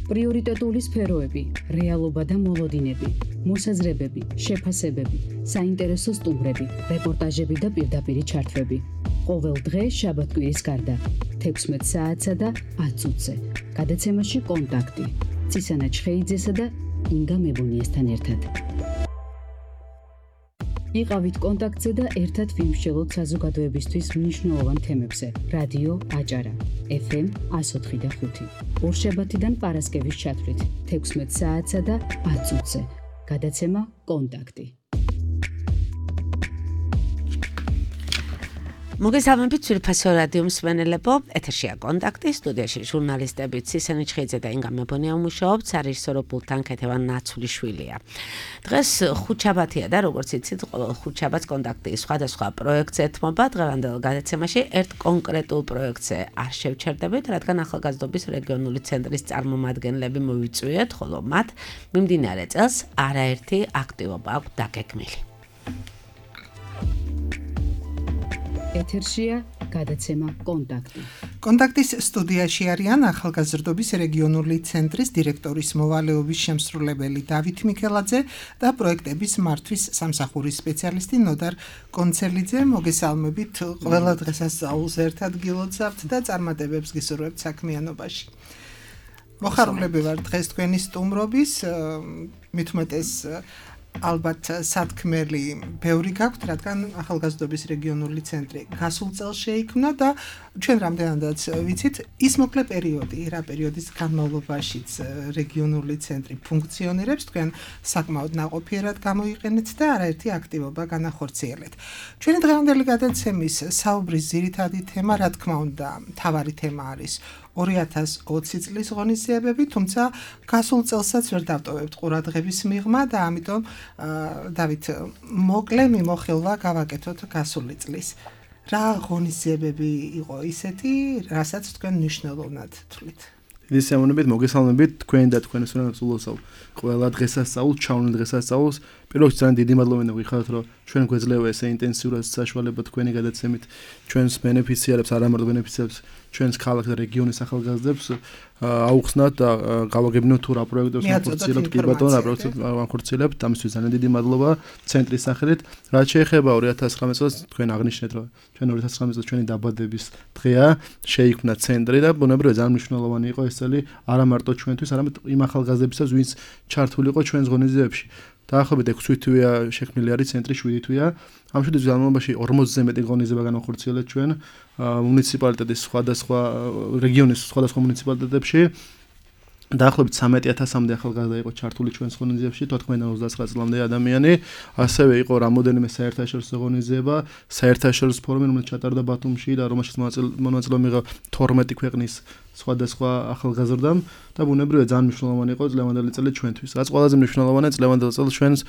პრიორიტეტული სფეროები, რეალობა და მოლოდინები, მოსაზრებები, შეფასებები, საინტერესო სტუმრები, რეპორტაჟები და პირდაპირი ჩართვები. ყოველ დღე შაბათ-კვირის გარდა 16 საათსა და 10 წუთზე. გადაცემაში კონტაქტი. ცისანა ჩხეიძესა და ინგა მებუნიესთან ერთად. იყავით კონტაქტზე და ერთად ვიმსჯელოთ საზოგადოებისთვის მნიშვნელოვან თემებზე. რადიო აჭარა, FM 104 და 5. ორშაბათიდან პარასკევის ჩათვლით 16 საათსა და 10 წუთზე. გადაცემა კონტაქტი. მოგესალმებით ძვირფასო რადიო მსმენელებო, ეთერშია კონტაქტი, სტუდიაში ჟურნალისტები ცისანი ჩხეიძე და ინგა მებონია მუშაობთ, სარეჟისორო პულტთან ქეთევან ნაცულიშვილია. დღეს ხუთშაბათია და როგორც იცით, ყოველ ხუთშაბათს კონტაქტი სხვადასხვა პროექტს ეთმობა. დღევანდელ გადაცემაში ერთ კონკრეტულ პროექტზე არ შევჩერდებით, რადგან ახალგაზრდობის რეგიონული ცენტრის წარმომადგენლები მოვიწვიეთ, ხოლო მათ მიმდინარე წელს არაერთი აქტივობა აქვს დაგეგმილი. ეთერშია გადაცემა კონტაქტი. კონტაქტის სტუდიაში არიან ახალგაზრდობის რეგიონული ცენტრის დირექტორის მოვალეობის შემსრულებელი დავით მიქელაძე და პროექტების მართვის სამსახურის სპეციალისტი ნოდარ კონცელიძე. მოგესალმებით, ყველა დღესასწაულს ერთად გილოცავთ და წარმატებებს გისურვებთ საქმიანობაში. მოხარულები ვარ დღეს თქვენი სტუმრობის, მით უმეტეს ალბათ სათქმელი ბევრი გაქვთ, რადგან ახალგაზრდობის რეგიონული ცენტრი გასულ წელს შეიქმნა და ჩვენ რამდენადაც ვიცით, ის მოკლე პერიოდი, რა პერიოდის განმავლობაშიც რეგიონული ცენტრი ფუნქციონირებს, თქვენ საკმაოდ ნაყოფიერად გამოიყენეთ და არაერთი აქტივობა განახორციელეთ. ჩვენი დღევანდელი გადაცემის საუბრის ძირითადი თემა, რა თქმა უნდა, მთავარი თემა არის 2020 წლის ღონისძიებები, თუმცა გასულ წელსაც ვერ დავტოვებთ ყურადღების მიღმა და ამიტომ დავით, მოკლე მიმოხილვა გავაკეთოთ გასული წლის. რა ღონისძიებები იყო ისეთი, რასაც თქვენ მნიშვნელოვნად თვლით? დიდი სიამოვნებით, მოგესალმებით თქვენ და თქვენი სულოსავ ყველა დღესასწაულს, ჩავნილ დღესასწაულს. პირველ რიგში ძალიან დიდი მადლობა მინდა ვიხაროთ, რომ ჩვენ გვეძლევა ესე ინტენსიურად საშუალება თქვენი გადაცემით ჩვენს ბენეფიციარებს, არა მარტო ბენეფიციარებს, ჩვენს ქალაქს და რეგიონის ახალგაზრდებს აუხსნათ და გავაგებინოთ თუ რა პროექტებს ვახორციელებთ, კი ბატონო, რა პროექტებს ვახორციელებთ. ამისთვის ძალიან დიდი მადლობა ცენტრის სახელით. რაც შეეხება 2019 წელს, თქვენ აღნიშნეთ, რომ ჩვენ 2019 წელს ჩვენი დაბადების დღეა, შეიქმნა ცენტრი და ბუნებრივია ძალიან მნიშვნელოვანი იყო ეს წელი არა მარტო ჩვენთვის, არამედ იმ ახალგაზრდებისთვის, ვინც ჩართული იყო ჩვენს ღონისძიებებში. დაახლოებით 6 თვეა შექმნილი არის ცენტრი, 7 თვეა. ამ 7 თვის განმავლობაში 40-ზე მეტი ღონისძიება განახორციელეთ ჩვენ მუნიციპალიტეტის სხვადასხვა რეგიონის სხვადასხვა მუნიციპალიტეტებში. დაახლოებით 13,000-მდე ახალგაზრდა იყო ჩართული ჩვენს ღონისძიებაში, 99 წლამდე ადამიანი. ასევე იყო რამოდენიმე საერთაშორისო ღონისძიება, საერთაშორისო ფორუმი, რომელიც ჩატარდა ბათუმში და რომელშიც მონაწილეობა მიიღო 12 ქვეყნის სხვადასხვა ახალგაზრდამ და ბუნებრივია ძალიან მნიშვნელოვანი იყო წლევანდელი წელი ჩვენთვის. რაც ყველაზე მნიშვნელოვანია, წლევანდელ წელს ჩვენს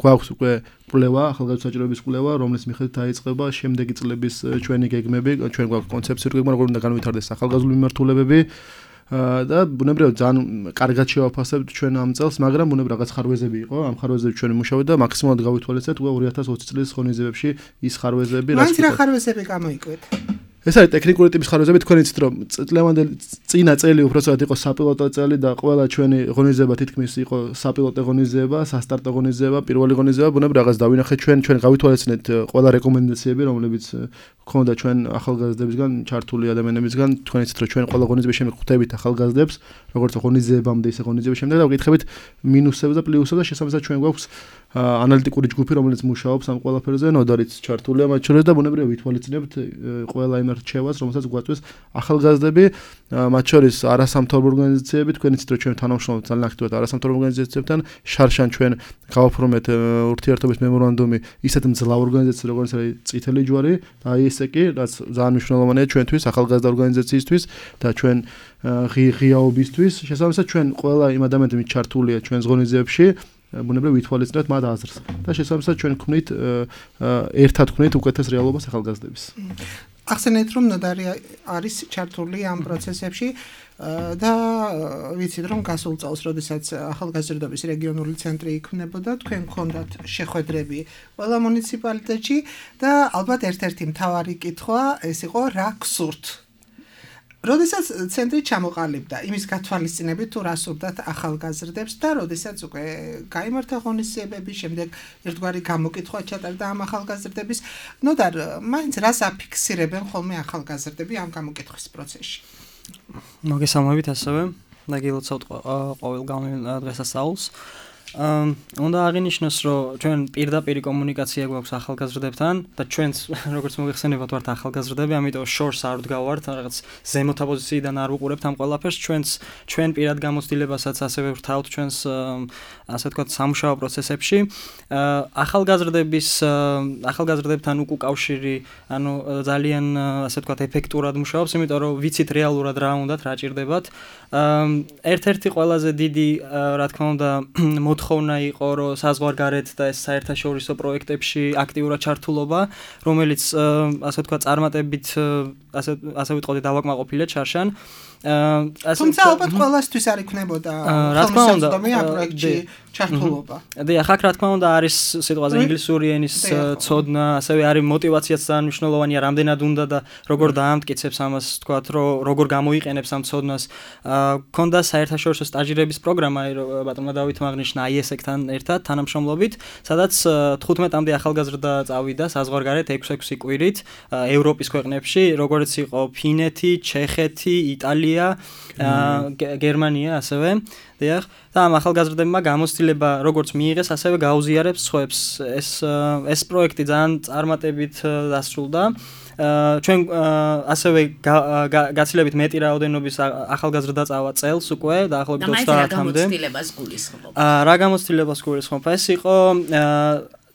გვაქვს უკვე კვლევა, ახალგაზრდა საჭიროების კვლევა, რომლის მიხედვით დაიწყება შემდეგი წლების ჩვენი გეგმები, ჩვენ გვაქვს კონცეფციური გეგმა, როგორ უნდა განვითარდეს ახალგაზრდული მიმართულებები. და ბუნებრივია ძალიან კარგად შევაფასებთ ჩვენ ამ წელს, მაგრამ ბუნებრივია რაღაც ხარვეზები იყო, ამ ხარვეზებში ჩვენ მუშაობთ და მაქსიმალურად გავითვალისწინებთ 2020 წლის ღონისძიებებში ის ხარვეზები, რაც რა ხარვეზები გამოიკვეთ? ეს არის ტექნიკური ტიპის ხარვეზები, თქვენ იცით რომ წლევანდელი წინა წელი უბრალოდ იყო საპილოტო წელი და ყველა ჩვენი ღონისძიება თითქმის იყო საპილოტო ღონისძიება, სასტარტო ღონისძიება, პირველი ღონისძიება, ბუნებრივია რაღაც დავინახეთ ჩვენ გავითვალისწინეთ ყველა რეკომენდაციები, რომლებიც ქონდა ჩვენ ახალგაზრდებისგან, ჩართული ადამიანებისგან, თქვენ იცით რომ ჩვენ ყველა ღონისძიების შემდეგ ხვდებით ახალგაზრდებს, როგორც ღონისძიებამდე ისე ღონისძიების შემდეგ და ვკითხებით მინუსებს და პლუსებს და შესაბამისად ჩვენ გვაქვს ანალიტიკური ჯგუფი, რომელიც მუშაობს ამ ყველაფერზე, ნოდარიც ჩართულია მათ შორის და ბუნებრივია ვითვალისწინებთ ყველა იმ რჩევას, რომელსაც გვაწვდის ახალგაზრდები, მათ შორის არასამთავრობო ორგანიზაციები, თქვენ იცით რომ ჩვენ თანამშრომლობთ ძალიან აქტიურად არასამთავრობო ორგანიზაციებთან, შარშან ჩვენ გავაფორმეთ ურთიერთობის მემორანდუმი ისეთ მძლავრ ორგანიზაციებთან, როგორც არის წითელი ჯვარი და ისე კი, რაც ძალიან მნიშვნელოვანია ჩვენთვის, ახალგაზრდა ორგანიზაციისთვის და ჩვენ ღიაობისთვის. შესაბამისად ჩვენ ყველა იმ ადამიანები ჩართულია ჩვენს ღონისძიებებში ბუნებრივია ვითვალისწინებთ მათ აზრს და შესაბამისად ჩვენ ვქმნით ერთად ვქმნით უკეთეს რეალობას ახალგაზრდების. ახსენეთ რომ ნოდარი არის ჩართული ამ პროცესებში და ვიცით რომ გასულ წელს, როდესაც ახალგაზრდობის რეგიონული ცენტრი იქმნებოდა, თქვენ გქონდათ შეხვედრები ყველა მუნიციპალიტეტში და ალბათ ერთ-ერთი მთავარი კითხვა ეს იყო რა გსურთ. როდესაც ცენტრი ჩამოყალიბდა, იმის გათვალისწინებით თუ რას ურდათ ახალგაზრდებს და როდესაც უკვე გაიმართა ღონისძიებები, შემდეგ ერთგვარი გამოკითხვა ჩატარდა ამ ახალგაზრდების, ნოდარ, მაინც რას აფიქსირებენ ხოლმე ახალგაზრდები ამ გამოკითხვის პროცესში? მოგესალმებით ასევე და გილოცავთ ყოველ დღესასწაულს. უნდა აღინიშნოს, რომ ჩვენ პირდაპირ კომუნიკაცია გვაქვს ახალგაზრდებთან და ჩვენც როგორც მოგეხსენებათ ვართ ახალგაზრდები, ამიტომ შორს არ ვდგავართ, რაღაც ზემოთა პოზიციიდან არ ვუყურებთ ამ ყველაფერს, ჩვენ პირად გამოცდილებასაც ასევე ვთავთ ჩვენს ასე ვთქვათ სამუშაო პროცესებში. ახალგაზრდებთან უკავშირი, ანუ ძალიან ასე ვთქვათ ეფექტურად მუშაობს, იმიტომ რომ ვიცით რეალურად რა უნდათ, რა ჭირდებათ. ერთ-ერთი ყველაზე დიდი რა თქმა უნდა მოთხოვნა იყო, რომ საზღვარგარეთ და ეს საერთაშორისო პროექტებში აქტიურად ჩართულობა, რომელიც ასე ვთქვათ წარმატებით ასე ვიტყოდით დავაკმაყოფილეთ შარშან. თუმცა ალბათ ყველასთვის არ იქნებოდა ხელმისაწვდომი ამ პროექტში ჩართულობა. დიახ, აქ რა თქმა უნდა არის სიტყვაზე ინგლისური ენის ცოდნა, ასევე არის мотиваციაც ძალიან მნიშვნელოვანია, რამდენად უნდა და როგორ დაამტკიცებს ამას, თქვათ, რომ როგორ გამოიყენებს ამ ცოდნას. ქონდა საერთაშორისო სტაჟირების პროგრამა, ბატონმა დავითმა აღნიშნა IESEC-თან ერთად თანამშრომლობით, სადაც 15-მდე ახალგაზრდა წავიდა საზღვარგარეთ 6 კვირით ევროპის ქვეყნებში, როგორც იყო ფინეთი, ჩეხეთი, იტალია, გერმანია ასევე. დიახ, და ამ ახალგაზრდებმა გამოცდილება როგორც მიიღეს, ასევე გაუზიარებს სხვებს. ეს პროექტი ძალიან წარმატებით დასრულდა. ჩვენ ასევე გაცილებით მეტი რაოდენობის ახალგაზრდა წავა წელს უკვე დაახლოებით 30-მდე. რა გამოცდილებას გულისხმობ? ეს იყო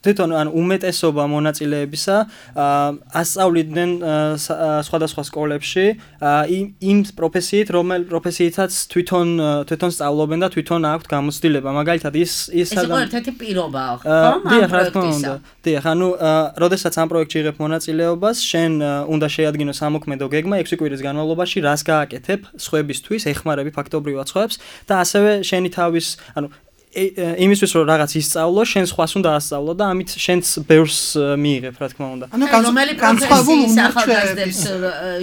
თვითონ ან უმეტესობა მონაწილეებისა ასწავლიდნენ სხვადასხვა სკოლებში იმ პროფესიით, რომელ პროფესიითაც თვითონ სწავლობენ და თვითონ აქვთ გამოცდილება. მაგალითად ის იყო ერთ-ერთი პირობა, ხო? დიახ, რა თქმა უნდა. დიახ, ანუ როდესაც ამ პროექტში იღებ მონაწილეობას, შენ უნდა შეადგინო სამოქმედო გეგმა 6 კვირის განმავლობაში, რას გააკეთებ სხვებისთვის, ეხმარები ფაქტობრივად სხვებს და ასევე შენი თავის, ანუ იმისთვის რომ რაღაც ისწავლო, შენ სხვას უნდა ასწავლო და ამით შენც ბევრს მიიღებ, რა თქმა უნდა. ანუ განსხვავებული ახალგაზრდებს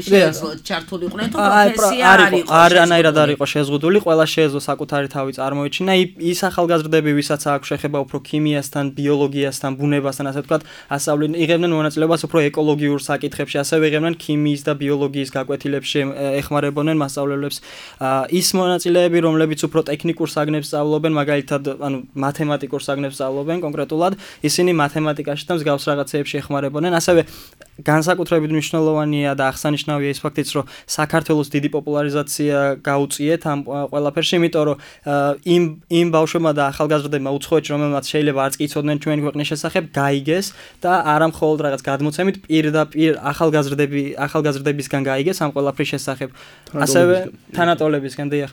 შეეძლოთ ჩართულიყვნენ თუ პროფესია არ იყო. არანაირად არ იყო შეზღუდული, ყველა შეეძლო საკუთარი თავი წარმოეჩინა. ის ახალგაზრდები, ვისაც აქვს შეხება უფრო ქიმიასთან, ბიოლოგიასთან, ბუნებასთან, ასე ვთქვათ, ასწავლენ, იღებდნენ მონაწილეობას უფრო ეკოლოგიურ საკითხებში, ასევე იღებდნენ ქიმიის და ბიოლოგიის გაკვეთილებში, ეხმარებოდნენ მასწავლებლებს. ის მონაწილეები, რომლებიც უფრო ტექნიკურ საგნებს სწავლობენ, მაგალითად ანუ მათემატიკურ საგნებს სწავლობენ კონკრეტულად, ისინი მათემატიკაში და მსგავს რაღაცეებში ეხმარებოდნენ. ასევე განსაკუთრებით მნიშვნელოვანია და აღსანიშნავია ის ფაქტიც, რომ საქართველოს დიდი პოპულარიზაცია გაუწიეთ ამ ყველაფერში, იმიტომ რომ იმ ბავშვებმა და ახალგაზრდებმა უცხოეთში, რომელმაც შეიძლება არც კი იცოდნენ ჩვენი ქვეყნის შესახებ, გაიგეს და არა მხოლოდ რაღაც გადმოცემით პირდაპირ ახალგაზრდებისგან გაიგეს ამ ყველაფრის შესახებ. ასევე თანატოლებისგან, დიახ.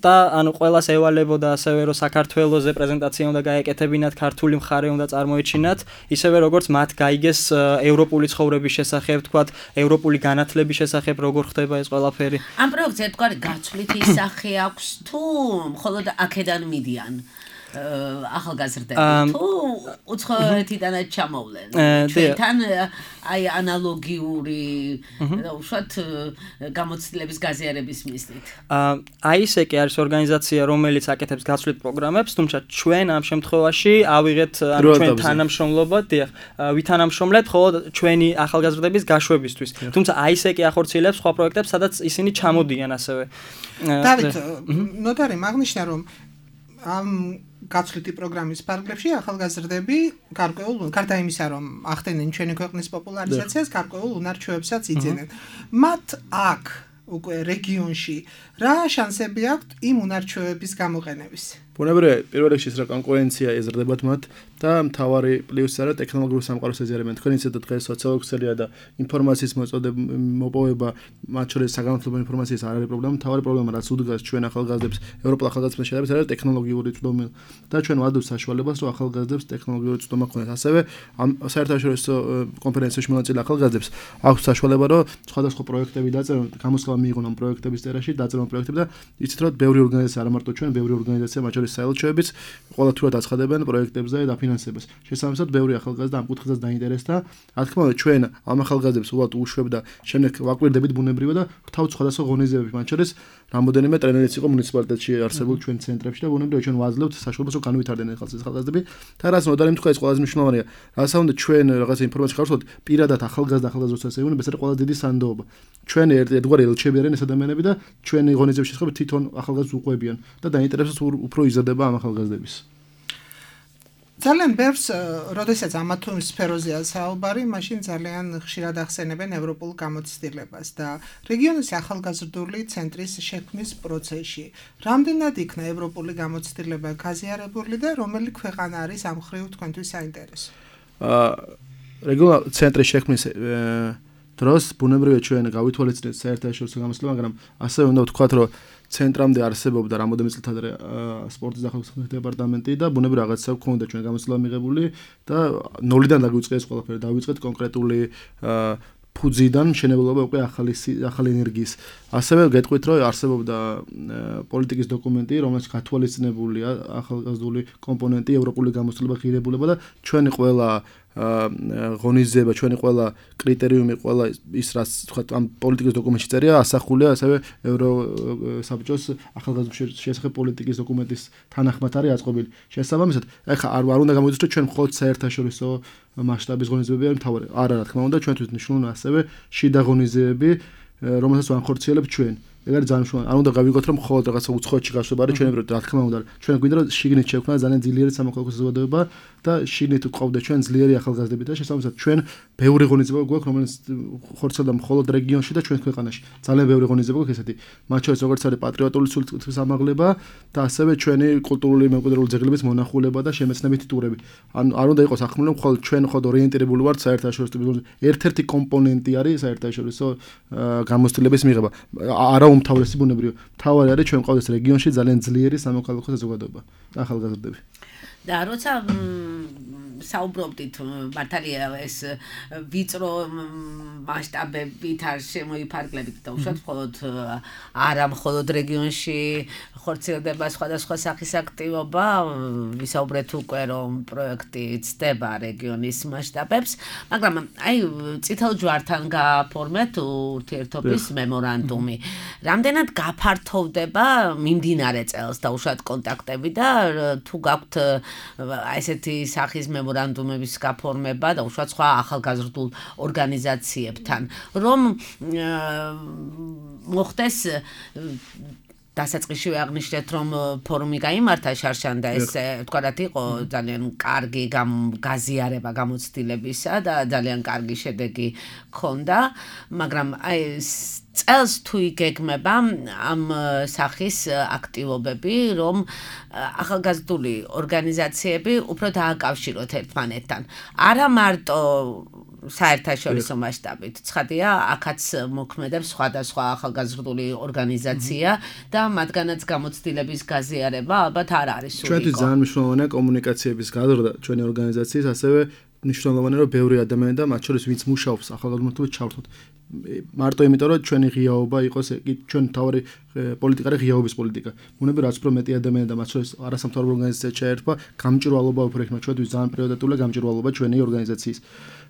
და ანუ ყველას ევალებოდა ასევე რომ საქართველოზე პრეზენტაცია უნდა გაეკეთებინათ, ქართული მხარე უნდა წარმოეჩინათ, ისევე როგორც მათ გაიგეს ევროპული ცხოვრების შესახებ, თქვათ, ევროპული განათლების შესახებ, როგორ ხდება ეს ყველაფერი. ამ პროექტს ერთგვარი გაცვლითი სახე აქვს თუ მხოლოდ აქედან მიდიან ახალგაზრდები თუ უცხოეთიდანაც ჩამოვლენ? ჩვენთან აი ანალოგიური უშუალოდ გამოცდილების გაზიარების მიზნით. IESEC არის ორგანიზაცია, რომელიც აკეთებს გაცვლით პროგრამებს, თუმცა ჩვენ ამ შემთხვევაში ავიღეთ ჩვენ თანამშრომლობა, დიახ, ვითანამშრომლეთ მხოლოდ ჩვენი ახალგაზრდების გაშვებისთვის. თუმცა IESEC ახორციელებს სხვა პროექტებს, სადაც ისინი ჩამოდიან ასევე. დავით, ნოტარი მაგნიშნა რომ ამ გაცვლითი პროგრამის ფარგლებში ახალგაზრდები გარდა იმისა, რომ ახდენენ ჩვენი ქვეყნის პოპულარიზაციას, გარკვეულ უნარ-ჩვევებსაც იძენენ. მათ აქ უკვე რეგიონში რა შანსები აქვთ იმ უნარ-ჩვევების გამოყენების? ბუნებრივია, პირველ რიგში რა კონკურენცია ეზრდებათ მათ და მთავარი პლუსი არა ტექნოლოგიურ სამყაროს ეზიარებენ. თქვენ იცით დღეს სოციოლოგია და ინფორმაციის მოპოვება, მათ შორის საგანმანათლებლო ინფორმაციის არ არის პრობლემა. მთავარი პრობლემა რაც უდგას ჩვენ ახალგაზრდებს, ევროპელ ახალგაზრდებს შეიძლება არის ტექნოლოგიური წვდომა და ჩვენ ვადობთ საშუალებას, რომ ახალგაზრდებს ტექნოლოგიური წვდომა ქონდეს. ასევე ამ საერთაშორისო კონფერენციაში მონაწილე ახალგაზრდებს აქვს საშუალება, რომ სხვადასხვა პროექტები დაწერონ, გამოსხლა მიიღონ ამ პროექტების წერაში, დაწერა პროექტები და იცით რომ ბევრი ორგანიზაცია, არა მარტო ჩვენ, ბევრი ორგანიზაცია, მათ შორის საელჩოებიც ყოველთვიურად აცხადებენ პროექტებზე და დაფინანსებას. შესაბამისად, ბევრი ახალგაზრდა ამ კუთხესაც დაინტერესდა. რა თქმა უნდა, ჩვენ ამ ახალგაზრდებს უბრალოდ უშვებ და შემდეგ ვაკვირდებით ბუნებრივად და თავ სხვადასხვა ღონისძიებებში, მათ შორის რამოდენიმე ტრენერიც იყო მუნიციპალიტეტში არსებულ ჩვენ ცენტრებში და ბუნებრივად ჩვენ ვაძლევთ საშუალებას რომ განვითარდნენ ახალგაზრდები. და რაც ნოდარი თქვა ეს ყველაზე მნიშვნელოვანია. რასაც უნდა ჩვენ რაღაც ინფორმაცია გავხსნათ პირადად ახალგაზრდა როცა ეუბნება, ეს არის ყველაზე დიდი სანდოობა. ჩვენ ერთგვარი ელჩები არიან ეს ადამიანები და ჩვენი ღონისძიების შესახებ თვითონ ახალგაზრდებს უყვებიან და დაინტერესებს უფრო იზრდება ამ ახალგაზრდების. ძალიან ბევრს, როდესაც ამა თუ იმ სფეროზეა საუბარი, მაშინ ძალიან ხშირად ახსენებენ ევროპულ გამოცდილებას და რეგიონის ახალგაზრდული ცენტრის შექმნის პროცესში. რამდენად იქნა ევროპული გამოცდილება გაზიარებული და რომელი ქვეყანა არის ამ მხრივ თქვენთვის საინტერესო? რეგიონალური ცენტრის შექმნის დროს ბუნებრივია ჩვენ გავითვალისწინეთ საერთაშორისო გამოცდილება, მაგრამ ასევე უნდა ვთქვათ, რომ ცენტრამდე არსებობდა რამოდენიმე წელიწად ადრე სპორტის და ახალგაზრდობის დეპარტამენტი და ბუნებრივია რაღაცა გვქონდა ჩვენ გამოცდილება მიღებული და ნოლიდან დაგვიწყეს ყველაფერი, დავიწყეთ კონკრეტული ფუძიდან მშენებლობა უკვე ახალი ენერგიის. ასევე გეტყვით, რომ არსებობდა პოლიტიკის დოკუმენტი, რომელიც გათვალისწინებულია ახალგაზრდული კომპონენტი, ევროპული გამოცდილება, ღირებულება და ჩვენი ყველა ღონისძიება, ჩვენი ყველა კრიტერიუმი, ყველა ის რაც თქვა ამ პოლიტიკის დოკუმენტში წერია, ასახულია ასევე ევროსაბჭოს ახალგაზრდობის შესახებ პოლიტიკის დოკუმენტის თანახმად არის აწყობილი. შესაბამისად, ეხლა არ უნდა გამოიწვიოს, რომ ჩვენ მხოლოდ საერთაშორისო მასშტაბის ღონისძიებები არის მთავარი. არა, რა თქმა უნდა, ჩვენთვის მნიშვნელოვანია ასევე შიდა ღონისძიებები, რომელსაც ვანხორციელებთ ჩვენ. ეგ არის ძალიან მნიშვნელოვანი. არ უნდა გავიგოთ, რომ მხოლოდ რაღაცა უცხოეთში გაშვება არის ჩვენი პროექტი, რა თქმა უნდა. ჩვენ გვინდა რომ შიგნით შევქნა ძალიან ძლიერი სამოქალაქო საზოგადოება და შიგნით გვყავდა ჩვენ ძლიერი ახალგაზრდები და შესაბამისად ჩვენ ბევრი ღონისძიება გვაქვს, რომელიც ხორცელდა მხოლოდ რეგიონში და ჩვენ ქვეყანაში. ძალიან ბევრი ღონისძიება გვაქვს ესეთი. მათ შორის როგორც არის პატრიოტული სულთის ამაღლება და ასევე ჩვენი კულტურული მემკვიდრეობის ძეგლების მონახულება და შემეცნებითი ტურები. ან არ უნდა იყოს ახმული, რომ მხოლოდ ჩვენ ხოდ ორიენტირებული ვართ საერთაშორისო ერთ-ერთი კომპონენტი არის საერთაშორისო გამოცდილების მიღება. არა უმთავრესი ბუნებრივია. მთავარი არის ჩვენ ყავდეს რეგიონში ძალიან ძლიერი სამოქალაქო საზოგადოება და ახალგაზრდები. და როცა საუბრობდით მართალია ეს ვიწრო მასშტაბებით არ შემოიფარგლებით და უშუალოდ მხოლოდ არა მხოლოდ რეგიონში ხორციელდება სხვადასხვა სახის აქტივობა, ვისაუბრეთ უკვე რომ პროექტი ცდება რეგიონის მასშტაბებს, მაგრამ აი წითელ ჯვართან გააფორმეთ ურთიერთობის მემორანდუმი. რამდენად გაფართოვდება მიმდინარე წელს და უშუალოდ კონტაქტები და თუ გაქვთ აი ესეთი სახის მემორანდუმების გაფორმება და უშუალოდ სხვა ახალგაზრდულ ორგანიზაციებთან, რომ მოხდეს დასაწყისში აღნიშნეთ, რომ ფორუმი გაიმართა შარშან და ეს თქვათ იყო ძალიან კარგი გაზიარება გამოცდილებისა და ძალიან კარგი შედეგი ჰქონდა, მაგრამ აი წელს თუ იგეგმება ამ სახის აქტივობები, რომ ახალგაზრდული ორგანიზაციები უფრო დააკავშიროთ ერთმანეთთან. არა მარტო საერთაშორისო მასშტაბით. ცხადია, აქაც მოქმედებს სხვადასხვა ახალგაზრდული ორგანიზაცია და მათგანაც გამოცდილების გაზიარება ალბათ არ არის სულიკო. ჩვენთვის ძალიან მნიშვნელოვანია კომუნიკაციების გაზრდა ჩვენი ორგანიზაციის, ასევე მნიშვნელოვანია, რომ ბევრი ადამიანი და მათ შორის ვინც მუშაობს ახალგაზრდობასთან ჩავთოთ. მარტო იმიტომ, რომ ჩვენი ღიაობა იყოს, ჩვენ თავი პოლიტიკა არის ღიაობის პოლიტიკა. ბუნებრივია, რაც უფრო მეტი ადამიანი და მათ შორის არასამთავრობო ორგანიზაცია ჩაერთვა, გამჭირვალობა უფრო იქნება. ჩვენთვის ძალიან პრიორიტეტულია გამჭირვალობა ჩვენი ორგანიზაციის.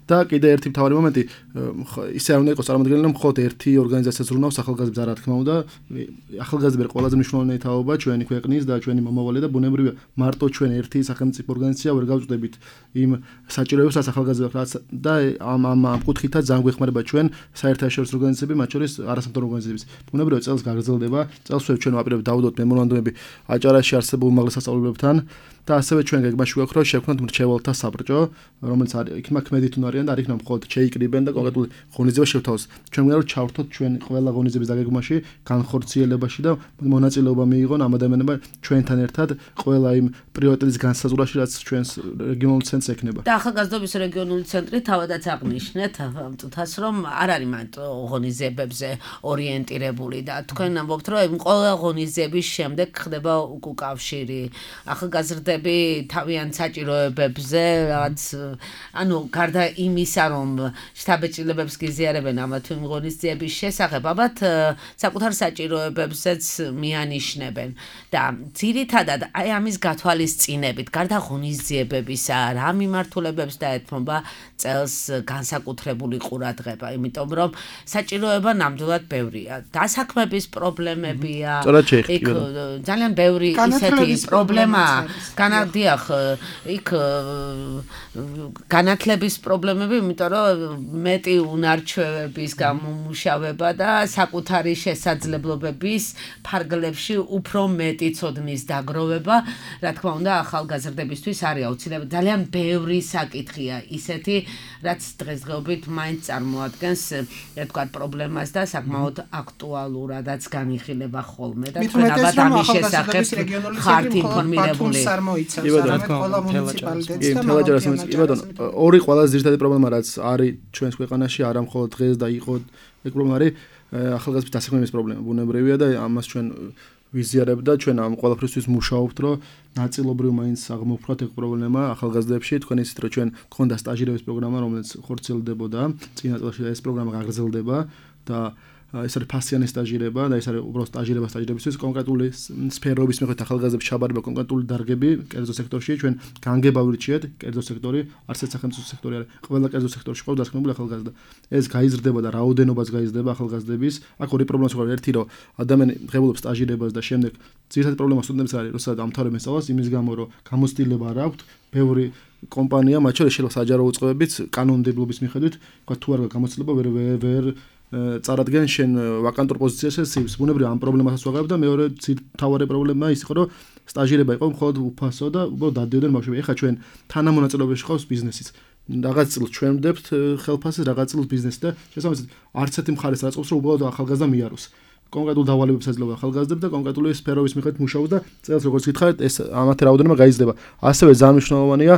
და კიდე ერთი მთავარი მომენტი, ისე არ უნდა იყოს წარმოადგენელი, რომ მხოლოდ ერთი ორგანიზაცია ზრუნავს ახალგაზრდებს, რა თქმა უნდა, ახალგაზრდები ყველაზე მნიშვნელოვანი თაობა ჩვენი ქვეყნის და ჩვენი მომავალი და ბუნებრივია, მარტო ჩვენ ერთი სახელმწიფო ორგანიზაცია ვერ გავწვდებით იმ საჭიროებას, რაც ახალგაზრდებს და ამ კუთხითაც ძალიან გვეხმარება ჩვენ საერთაშორისო ორგანიზაციები, მათ შორის არასამთავრობო ორგანიზაციები. ბუნებრივია, წელს გაგრძელდება, წელს ჩვენ ვაპირებთ დავუდოთ მემორანდუმები აჭარაში არსებულ უმაღლეს სასწავლებლებთან. და ასევე ჩვენ გეგმაში გვაქვს, რომ შევქმნათ მრჩეველთა საბრჭო, რომელიც არის იქ ქმედით უნარიან და არ იქნება მხოლოდ შეიკრიბენ და კონკრეტული ღონისძიება შევთავაზოთ. ჩვენ გვინდა რომ ჩავთოთ ჩვენ ყველა ღონისძიების დაგეგმვაში, განხორციელებაში და მონაწილეობა მიიღონ ამ ადამიანებმა ჩვენთან ერთად ყველა იმ პრიორიტეტის განსაზღვრაში, რაც ჩვენს რეგიონულ ცენტრს ექნება. და ახალგაზრდობის რეგიონული ცენტრი თავადაც აღნიშნეთ ამ წუთას, რომ არ არის მარტო ღონისძიებებზე ორიენტირებული და თქვენ ამბობთ, რომ ყველა ღონისძიების შემდეგ ხდება უკავშირი. ახალგაზრდები თავიანთ საჭიროებებზე, რაც ანუ გარდა იმისა, რომ შთაბეჭდილებებს გიზიარებენ ამა თუ იმ ღონისძიების შესახებ, ალბათ საკუთარ საჭიროებებზეც მიანიშნებენ და ძირითადად აი ამის გათვალისწინებით, გარდა ღონისძიებებისა, რა მიმართულებებს დაეთმობა წელს განსაკუთრებული ყურადღება, იმიტომ რომ საჭიროება ნამდვილად ბევრია. დასაქმების პრობლემებია, იქ ძალიან ბევრი ისეთი პრობლემაა. განადიახ, იქ განათლების პრობლემები, იმიტომ რომ მეტი უნარჩვევების გამომუშავება და საკუთარი შესაძლებლობების ფარგლებში უფრო მეტი ცოდნის დაგროვება, რა თქმა უნდა, ახალგაზრდებისთვის არის აუცილებელი. ძალიან ბევრი საკითხია ისეთი, რაც დღესდღეობით მაინც წარმოადგენს, ერთგვარ პრობლემას და საკმაოდ აქტუალურადაც განიხილება ხოლმე და თქვენ ალბათ ამის შესახებ ხართ ინფორმირებული. ორი ყველაზე ძირითადი პრობლემა, რაც არის ჩვენს ქვეყანაში, არა მხოლოდ დღეს და იყო ეგ პრობლემა არის ახალგაზრდების დასაქმების პრობლემა. ბუნებრივია და ამას ჩვენ ვიზიარებთ და ჩვენ ამ ყველაფრისთვის მუშაობთ, რომ ნაწილობრივ მაინც აღმოფხვრათ ეგ პრობლემა ახალგაზრდებში. თქვენ იცით, რომ ჩვენ გქონდა სტაჟირების პროგრამა, რომელიც ხორციელდებოდა წინა წელში და ეს პროგრამა გაგრძელდება და ეს არის ფასიანი სტაჟირება და ეს არის უბრალოდ სტაჟირებისთვის კონკრეტული სფეროების მიხედვით ახალგაზრდებს ჩაბარება კონკრეტული დარგები კერძო სექტორში. ჩვენ განგება ვირჩიეთ, კერძო სექტორი, არცერთ სახელმწიფო სექტორი არის. ყველა კერძო სექტორში ყავს დასაქმებული ახალგაზრდა. ეს გაიზრდება და რაოდენობას გაიზრდება ახალგაზრდების. აქ ორი პრობლემა გვაქვს. ერთი, რომ ადამიანი ღებულობს სტაჟირებას და შემდეგ ძირითადი პრობლემა სტუდენტებს არის, როცა ამთავრებენ სწავლას, იმის გამო, რომ გამოცდილება არ აქვთ, ბევრი კომპანია, მათ შორის შეიძლება საჯარო უწყებებიც კანონმდებლობის მიხედვით, თქვა თუ არ გამოცდილება ვერ წარადგენ შენ ვაკანტურ პოზიციაზე სივს. ბუნებრივია ამ პრობლემასაც ვაღებ და მეორე თავარი პრობლემა ის იყო, რომ სტაჟირება იყო მხოლოდ უფასო და უბრალოდ დადიოდნენ ბავშვები. ეხლა ჩვენ თანამონაწილეობაში ხავს ბიზნესიც. რაღაც წელს ჩვენ ვდებთ ხელფასს, რაღაც წელს ბიზნესი და შესაბამისად არც ერთი მხარეს არ აწყობს, რომ უბრალოდ ახალგაზრდა მიაროს. კონკრეტულ დავალებებს აძლევს ახალგაზრდებს და კონკრეტული სფეროების მიხედვით მუშაობს და წელს როგორც გითხარით, ეს ამათი რაოდენობა გაიზრდება. ასევე ძალიან მნიშვნელოვანია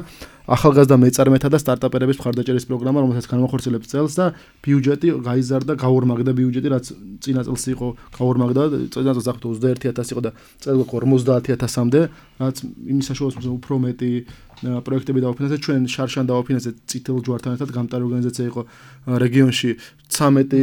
ახალგაზრდა მეწარმეთა და სტარტაპერების მხარდაჭერის პროგრამა, რომელსაც განმახორციელებს წელს და ბიუჯეტი გაიზარდა, გაორმაგდა ბიუჯეტი, რაც წინა წელს იყო გაორმაგდა, წინა წელს აღთო 21000 იყო და წელს 50000-მდე, რაც იმის საშუალებას უფრო მეტი პროექტები დავაფინანსეთ. ჩვენ შარშან დავაფინანსეთ წითელ ჯვართან ერთად გამტარი ორგანიზაცია იყო რეგიონში 13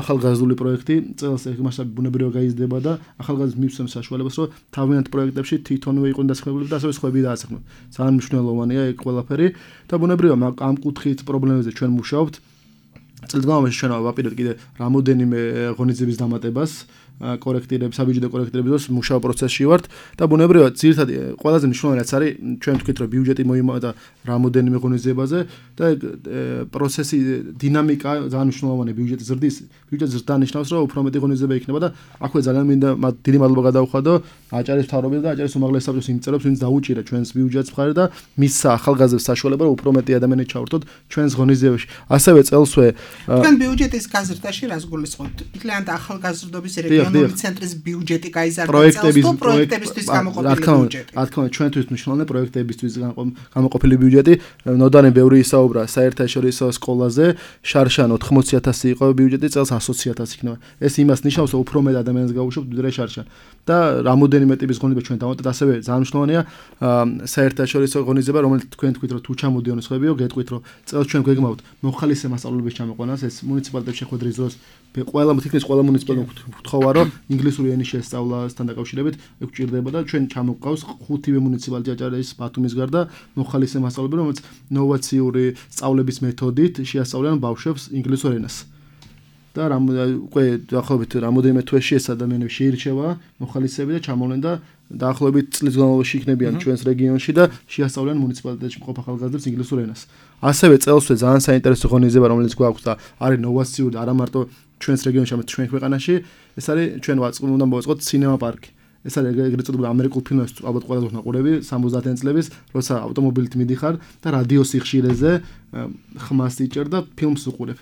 ახალგაზრდული პროექტი. წელს ეს მასშტაბი ბუნებრივად გაიზრდება და ახალგაზრდებს მივცემს საშუალებას, რომ თავიანთ პროექტებში თვითონვე იყვნენ დასაქმებული და ასევე სხვები დაასახმონ. ძალიან მნიშვნელოვანია ეგ ყველაფერი და ბუნებრივია ამ კუთხით პრობლემებზე ჩვენ მუშაობთ. წელს განმავლობაში ჩვენ ვაპირებთ კიდე რამოდენიმე ღონისძიების დამატებას, კორექტირების, საბიუჯეტო კორექტირების დროს მუშაობ პროცესში ვართ და ბუნებრივად ძირითადად ყველაზე მნიშვნელოვანი რაც არის, ჩვენ ვთქვით, რომ ბიუჯეტი მოიმოვა და რამოდენიმე ღონისძიებაზე და პროცესი დინამიკა ძალიან მნიშვნელოვანია. ბიუჯეტი ზრდის, ბიუჯეტი ზრდა ნიშნავს, რომ უფრო მეტი ღონისძიება იქნება და აქვე ძალიან მინდა დიდი მადლობა გადავხადო აჭარის მთავრობელს და აჭარის უმაღლეს საბჭოს იმ წევრებს, ვინც დაუჭირა ჩვენს ბიუჯეტს მხარი და მისცა ახალგაზრდებს საშუალება, რომ უფრო მეტი ადამიანი ჩავრთოთ ჩვენს ღონისძიებაში. ასევე წელსვე თქვენ ბიუჯეტის გაზრდაში რას გულისხმობთ? მთლიანად ახალგაზრდობის რეგიონული ცენტრის ბიუჯეტი გაიზარდა პროექტებისთვის გამოყოფილი ბიუჯეტი. რა თქმა უნდა, ჩვენთვის მნიშვნელოვანია პროექტებისთვის გამოყოფილი ბიუჯეტი. ნოდანი ბევრი ისაუბრა საერთაშორისო სკოლაზე, შარშან 80000 იყო ბიუჯეტი, წელს 100000 იქნება. ეს იმას ნიშნავს, რომ უფრო მეტ ადამიანს გავუშვებთ ვიდრე შარშან. და რამოდენიმე ტიპის ღონისძიება ჩვენ დავამატეთ, ასევე ძალიან მნიშვნელოვანია საერთაშორისო ღონისძიება, რომელიც თქვენ თქვით, რომ თუ ჩამოდიონ სხვებიო, გეტყვით, რომ წელს ჩვენ გვეგმავთ მოხალისე მასწავლებლების ჩამოყვანას, ეს მუნიციპალიტეტებში შეხვედრის დროს ყველა მუნიციპალიტეტს ვთხოვა, რომ ინგლისური ენის შესწავლასთან დაკავშირებით ეგ გვჭირდება და ჩვენ ჩამოყავს 5-ვე მუნიციპალიტეტი აჭარის ბათუმის გარდა მოხალისე მასწავლებლები, რომელიც ნოვაციური სწავლების მეთოდით შეასწავლიან ბავშვებს ინგლისურ ენას. და უკვე დაახლოებით რამოდენიმე თვეში ეს ადამიანები შეირჩევა მოხალისეები და ჩამოვლენ და დაახლოებით წლის განმავლობაში იქნებიან ჩვენს რეგიონში და შეასწავლიან მუნიციპალიტეტში მყოფ ახალგაზრდებს ინგლისურ ენას. ასევე წელსვე ძალიან საინტერესო ღონისძიება, რომელიც გვაქვს და არის ნოვაციური და არა მარტო ჩვენს რეგიონში, არამედ ჩვენ ქვეყანაში, ეს არის ჩვენ უნდა მოვაწყოთ სინემა პარკი. ეს არის ეგრეთ წოდებული ამერიკულ ფილმებს ალბათ ყველაზე უყურები 70-იან წლების, როცა ავტომობილით მიდიხარ და რადიო სიხშირეზე ხმას იჭერ და ფილმს უყურებ.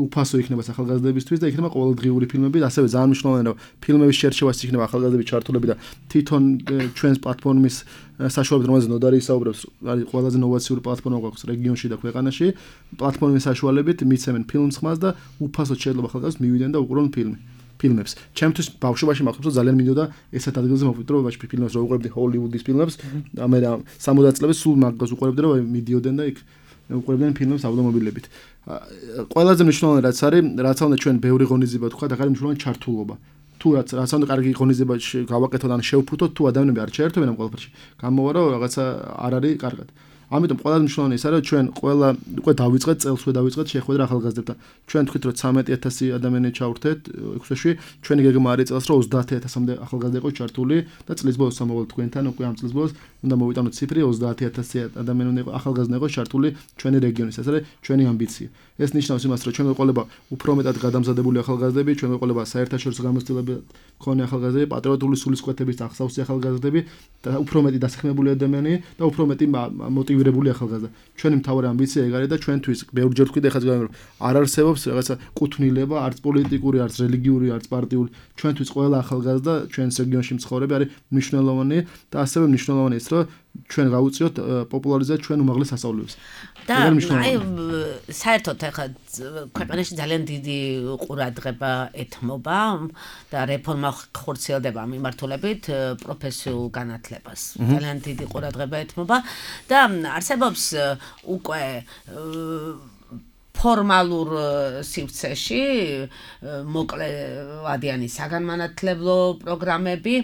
უფასო იქნება ახალგაზრდებისთვის და იქნება ყოველდღიური ფილმები და ასევე ძალიან მნიშვნელოვანია რომ ფილმების შერჩევაც იქნება ახალგაზრდების ჩართულები და თვითონ ჩვენს პლატფორმის საშუალებით რომელზეც ნოდარი ისაუბრებს არის ყველაზე ნოვაციური პლატფორმა გვაქვს რეგიონში და ქვეყანაში პლატფორმის საშუალებით მიცემენ ფილმს ხმას და უფასოდ შეიძლება ახალგაზრდებს მივიდნენ და უყურონ ფილმებს. ჩემთვის ბავშვობაში მახსოვს რომ ძალიან მინდოდა ესეთ ადგილზე მოვიდრო რომ ბავშვი ფილმებს რო უყურებდი ჰოლივუდის ფილმებს და მე 60 წლების სულ მაგას უყურებდი რომ მიდიოდნენ და იქ უყურებდნენ ფილმებს ავტომობილებით. ყველაზე მნიშვნელოვანი რაც არის, რაც უნდა ჩვენ ბევრი ღონისძიება თქვა და კარგი მნიშვნელოვანი ჩართულობა. თუ რაც უნდა კარგი ღონისძიება გავაკეთოთ ან შევფუთოთ, თუ ადამიანები არ შეერთვენ ამ ყველაფერში, გამოვა რომ რაღაცა არ არის კარგად. ამიტომ ყველაზე მნიშვნელოვანი ის არის რომ ჩვენ ყველა უკვე დავიწყეთ წელს უკვე დავიწყეთ შეხვედრა ახალგაზრდებთან. ჩვენ თქვით რომ 13000 ადამიანი ჩავერთეთ 6 წელში, ჩვენი გეგმა არის წელს რომ 30000-მდე ახალგაზრდა იყოს ჩართული და წლის ბოლოს სამოვალ თქვენთან უკვე ამ წლის ბოლოს უნდა მოვიტანოთ ციფრი 30000 ადამიანი უნდა იყოს ახალგაზრდა იყოს ჩართული ჩვენი რეგიონის. ეს არის ჩვენი ამბიცია. ეს ნიშნავს იმას რომ ჩვენ გვეყოლება უფრო მეტად გადამზადებული ახალგაზრდები, ჩვენ გვეყოლება საერთაშორისო გამოცდილებები მქონე ახალგაზრდები, პატრიოტული სულისკვეთების ახსავსი ახალგაზრდები და უფრო მეტი დასაქმებული ადამიანი და უფრო მეტი მოტივირებული ახალგაზრდა. ჩვენი მთავარი ამბიცია ეგ არის და ჩვენთვის ბევრჯერ ვთქვი და ეხლა ზოგადად რომ არ არსებობს რაღაცა კუთვნილება, არც პოლიტიკური, არც რელიგიური, არც პარტიული. ჩვენთვის ყველა ახალგაზრდა ჩვენს რეგიონში მცხოვრები არის მნიშვნელოვანი და ასევე მნიშვნელოვანი ის რომ ჩვენ გავუწიოთ პოპულარიზēt ჩვენ უმაღლეს სასწავლებლებს. და აი საერთოდ ახლა ქვეყანაში ძალიან დიდი ყურადღება ეთმობა და რეფორმა ხორციელდება მიმართულებით პროფესიულ განათლებას. ძალიან დიდი ყურადღება ეთმობა და არსებობს უკვე ფორმალურ სივრცეში მოკლევადიანი საგანმანათლებლო პროგრამები.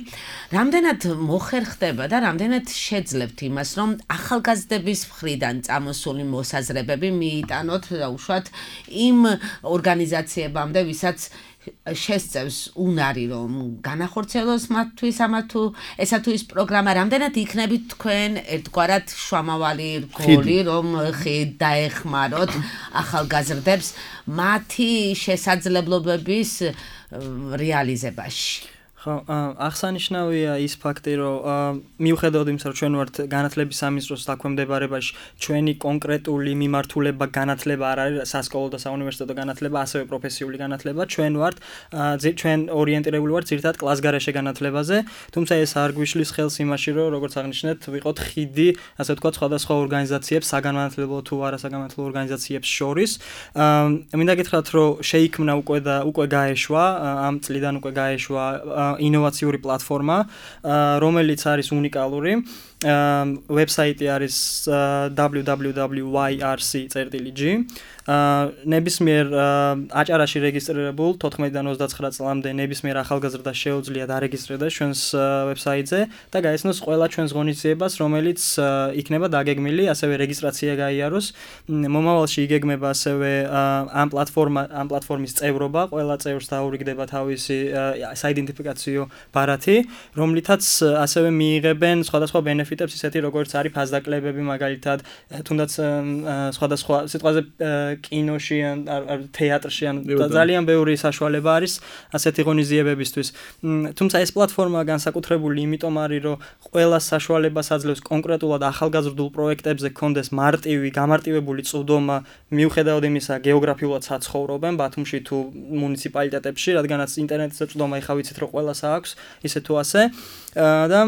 რამდენად მოხერხდება და რამდენად შეძლებთ იმას, რომ ახალგაზრდების მხრიდან წამოსული მოსაზრებები მიიტანოთ უშუალოდ იმ ორგანიზაციებამდე, ვისაც შესწევს უნარი რომ განახორციელოს მათთვის ამა თუ ესა თუ ის პროგრამა რამდენად იქნებით თქვენ ერთგვარად შუამავალი რგოლი რომ დაეხმაროთ ახალგაზრდებს მათი შესაძლებლობების რეალიზებაში. ხო, აღსანიშნავია ის ფაქტი, რომ მიუხედავად იმისა, რომ ჩვენ ვართ განათლების სამინისტროს დაქვემდებარებაში, ჩვენი კონკრეტული მიმართულება განათლება არ არის სასკოლო და საუნივერსიტეტო განათლება, ასევე პროფესიული განათლება, ჩვენ ორიენტირებული ვართ ძირითადად კლასგარეშე განათლებაზე, თუმცა ეს არ გვიშლის ხელს იმაში, რომ როგორც აღნიშნეთ, ვიყოთ ხიდი, ასე ვთქვათ, სხვადასხვა ორგანიზაციებს, საგანმანათლებლო თუ არასაგანმანათლებლო ორგანიზაციებს შორის. მინდა გითხრათ, რომ შეიქმნა უკვე გაეშვა, ამ წლიდან უკვე გაეშვა ინოვაციური პლატფორმა, რომელიც არის უნიკალური. ვებსაიტი არის www.yrc.gr. ნებისმიერ აჭარაში რეგისტრირებულ 14-დან 29 წლამდე ნებისმიერ ახალგაზრდას შეუძლია დარეგისტრირდეს ჩვენს ვებსაიტზე და გაეცნოს ყველა ჩვენს ღონისძიებას, რომელიც იქნება დაგეგმილი, ასევე რეგისტრაცია გაიაროს. მომავალში იგეგმება ასევე ამ პლატფორმის წევრობა, ყველა წევრს დაურიგდება თავისი საიდენტიფიკაციო ბარათი, რომლითაც ასევე მიიღებენ სხვადასხვა ბენეფიტებს, ისეთი როგორც არის ფასდაკლებები, მაგალითად, თუნდაც სხვადასხვა სიტყვაზე კინოში ან თეატრში ან ძალიან ბევრი საშუალება არის ასეთი ღონისძიებებისთვის. თუმცა ეს პლატფორმა განსაკუთრებული იმიტომ არის, რომ ყველა საშუალებას აძლევს კონკრეტულად ახალგაზრდულ პროექტებზე გქონდეს გამარტივებული წვდომა, მიუხედავად იმისა, გეოგრაფიულად საცხოვრობენ ბათუმში თუ მუნიციპალიტეტებში, რადგანაც ინტერნეტზე წვდომა ეხა ვიცით, რომ ყველას აქვს, ისე თუ ასე და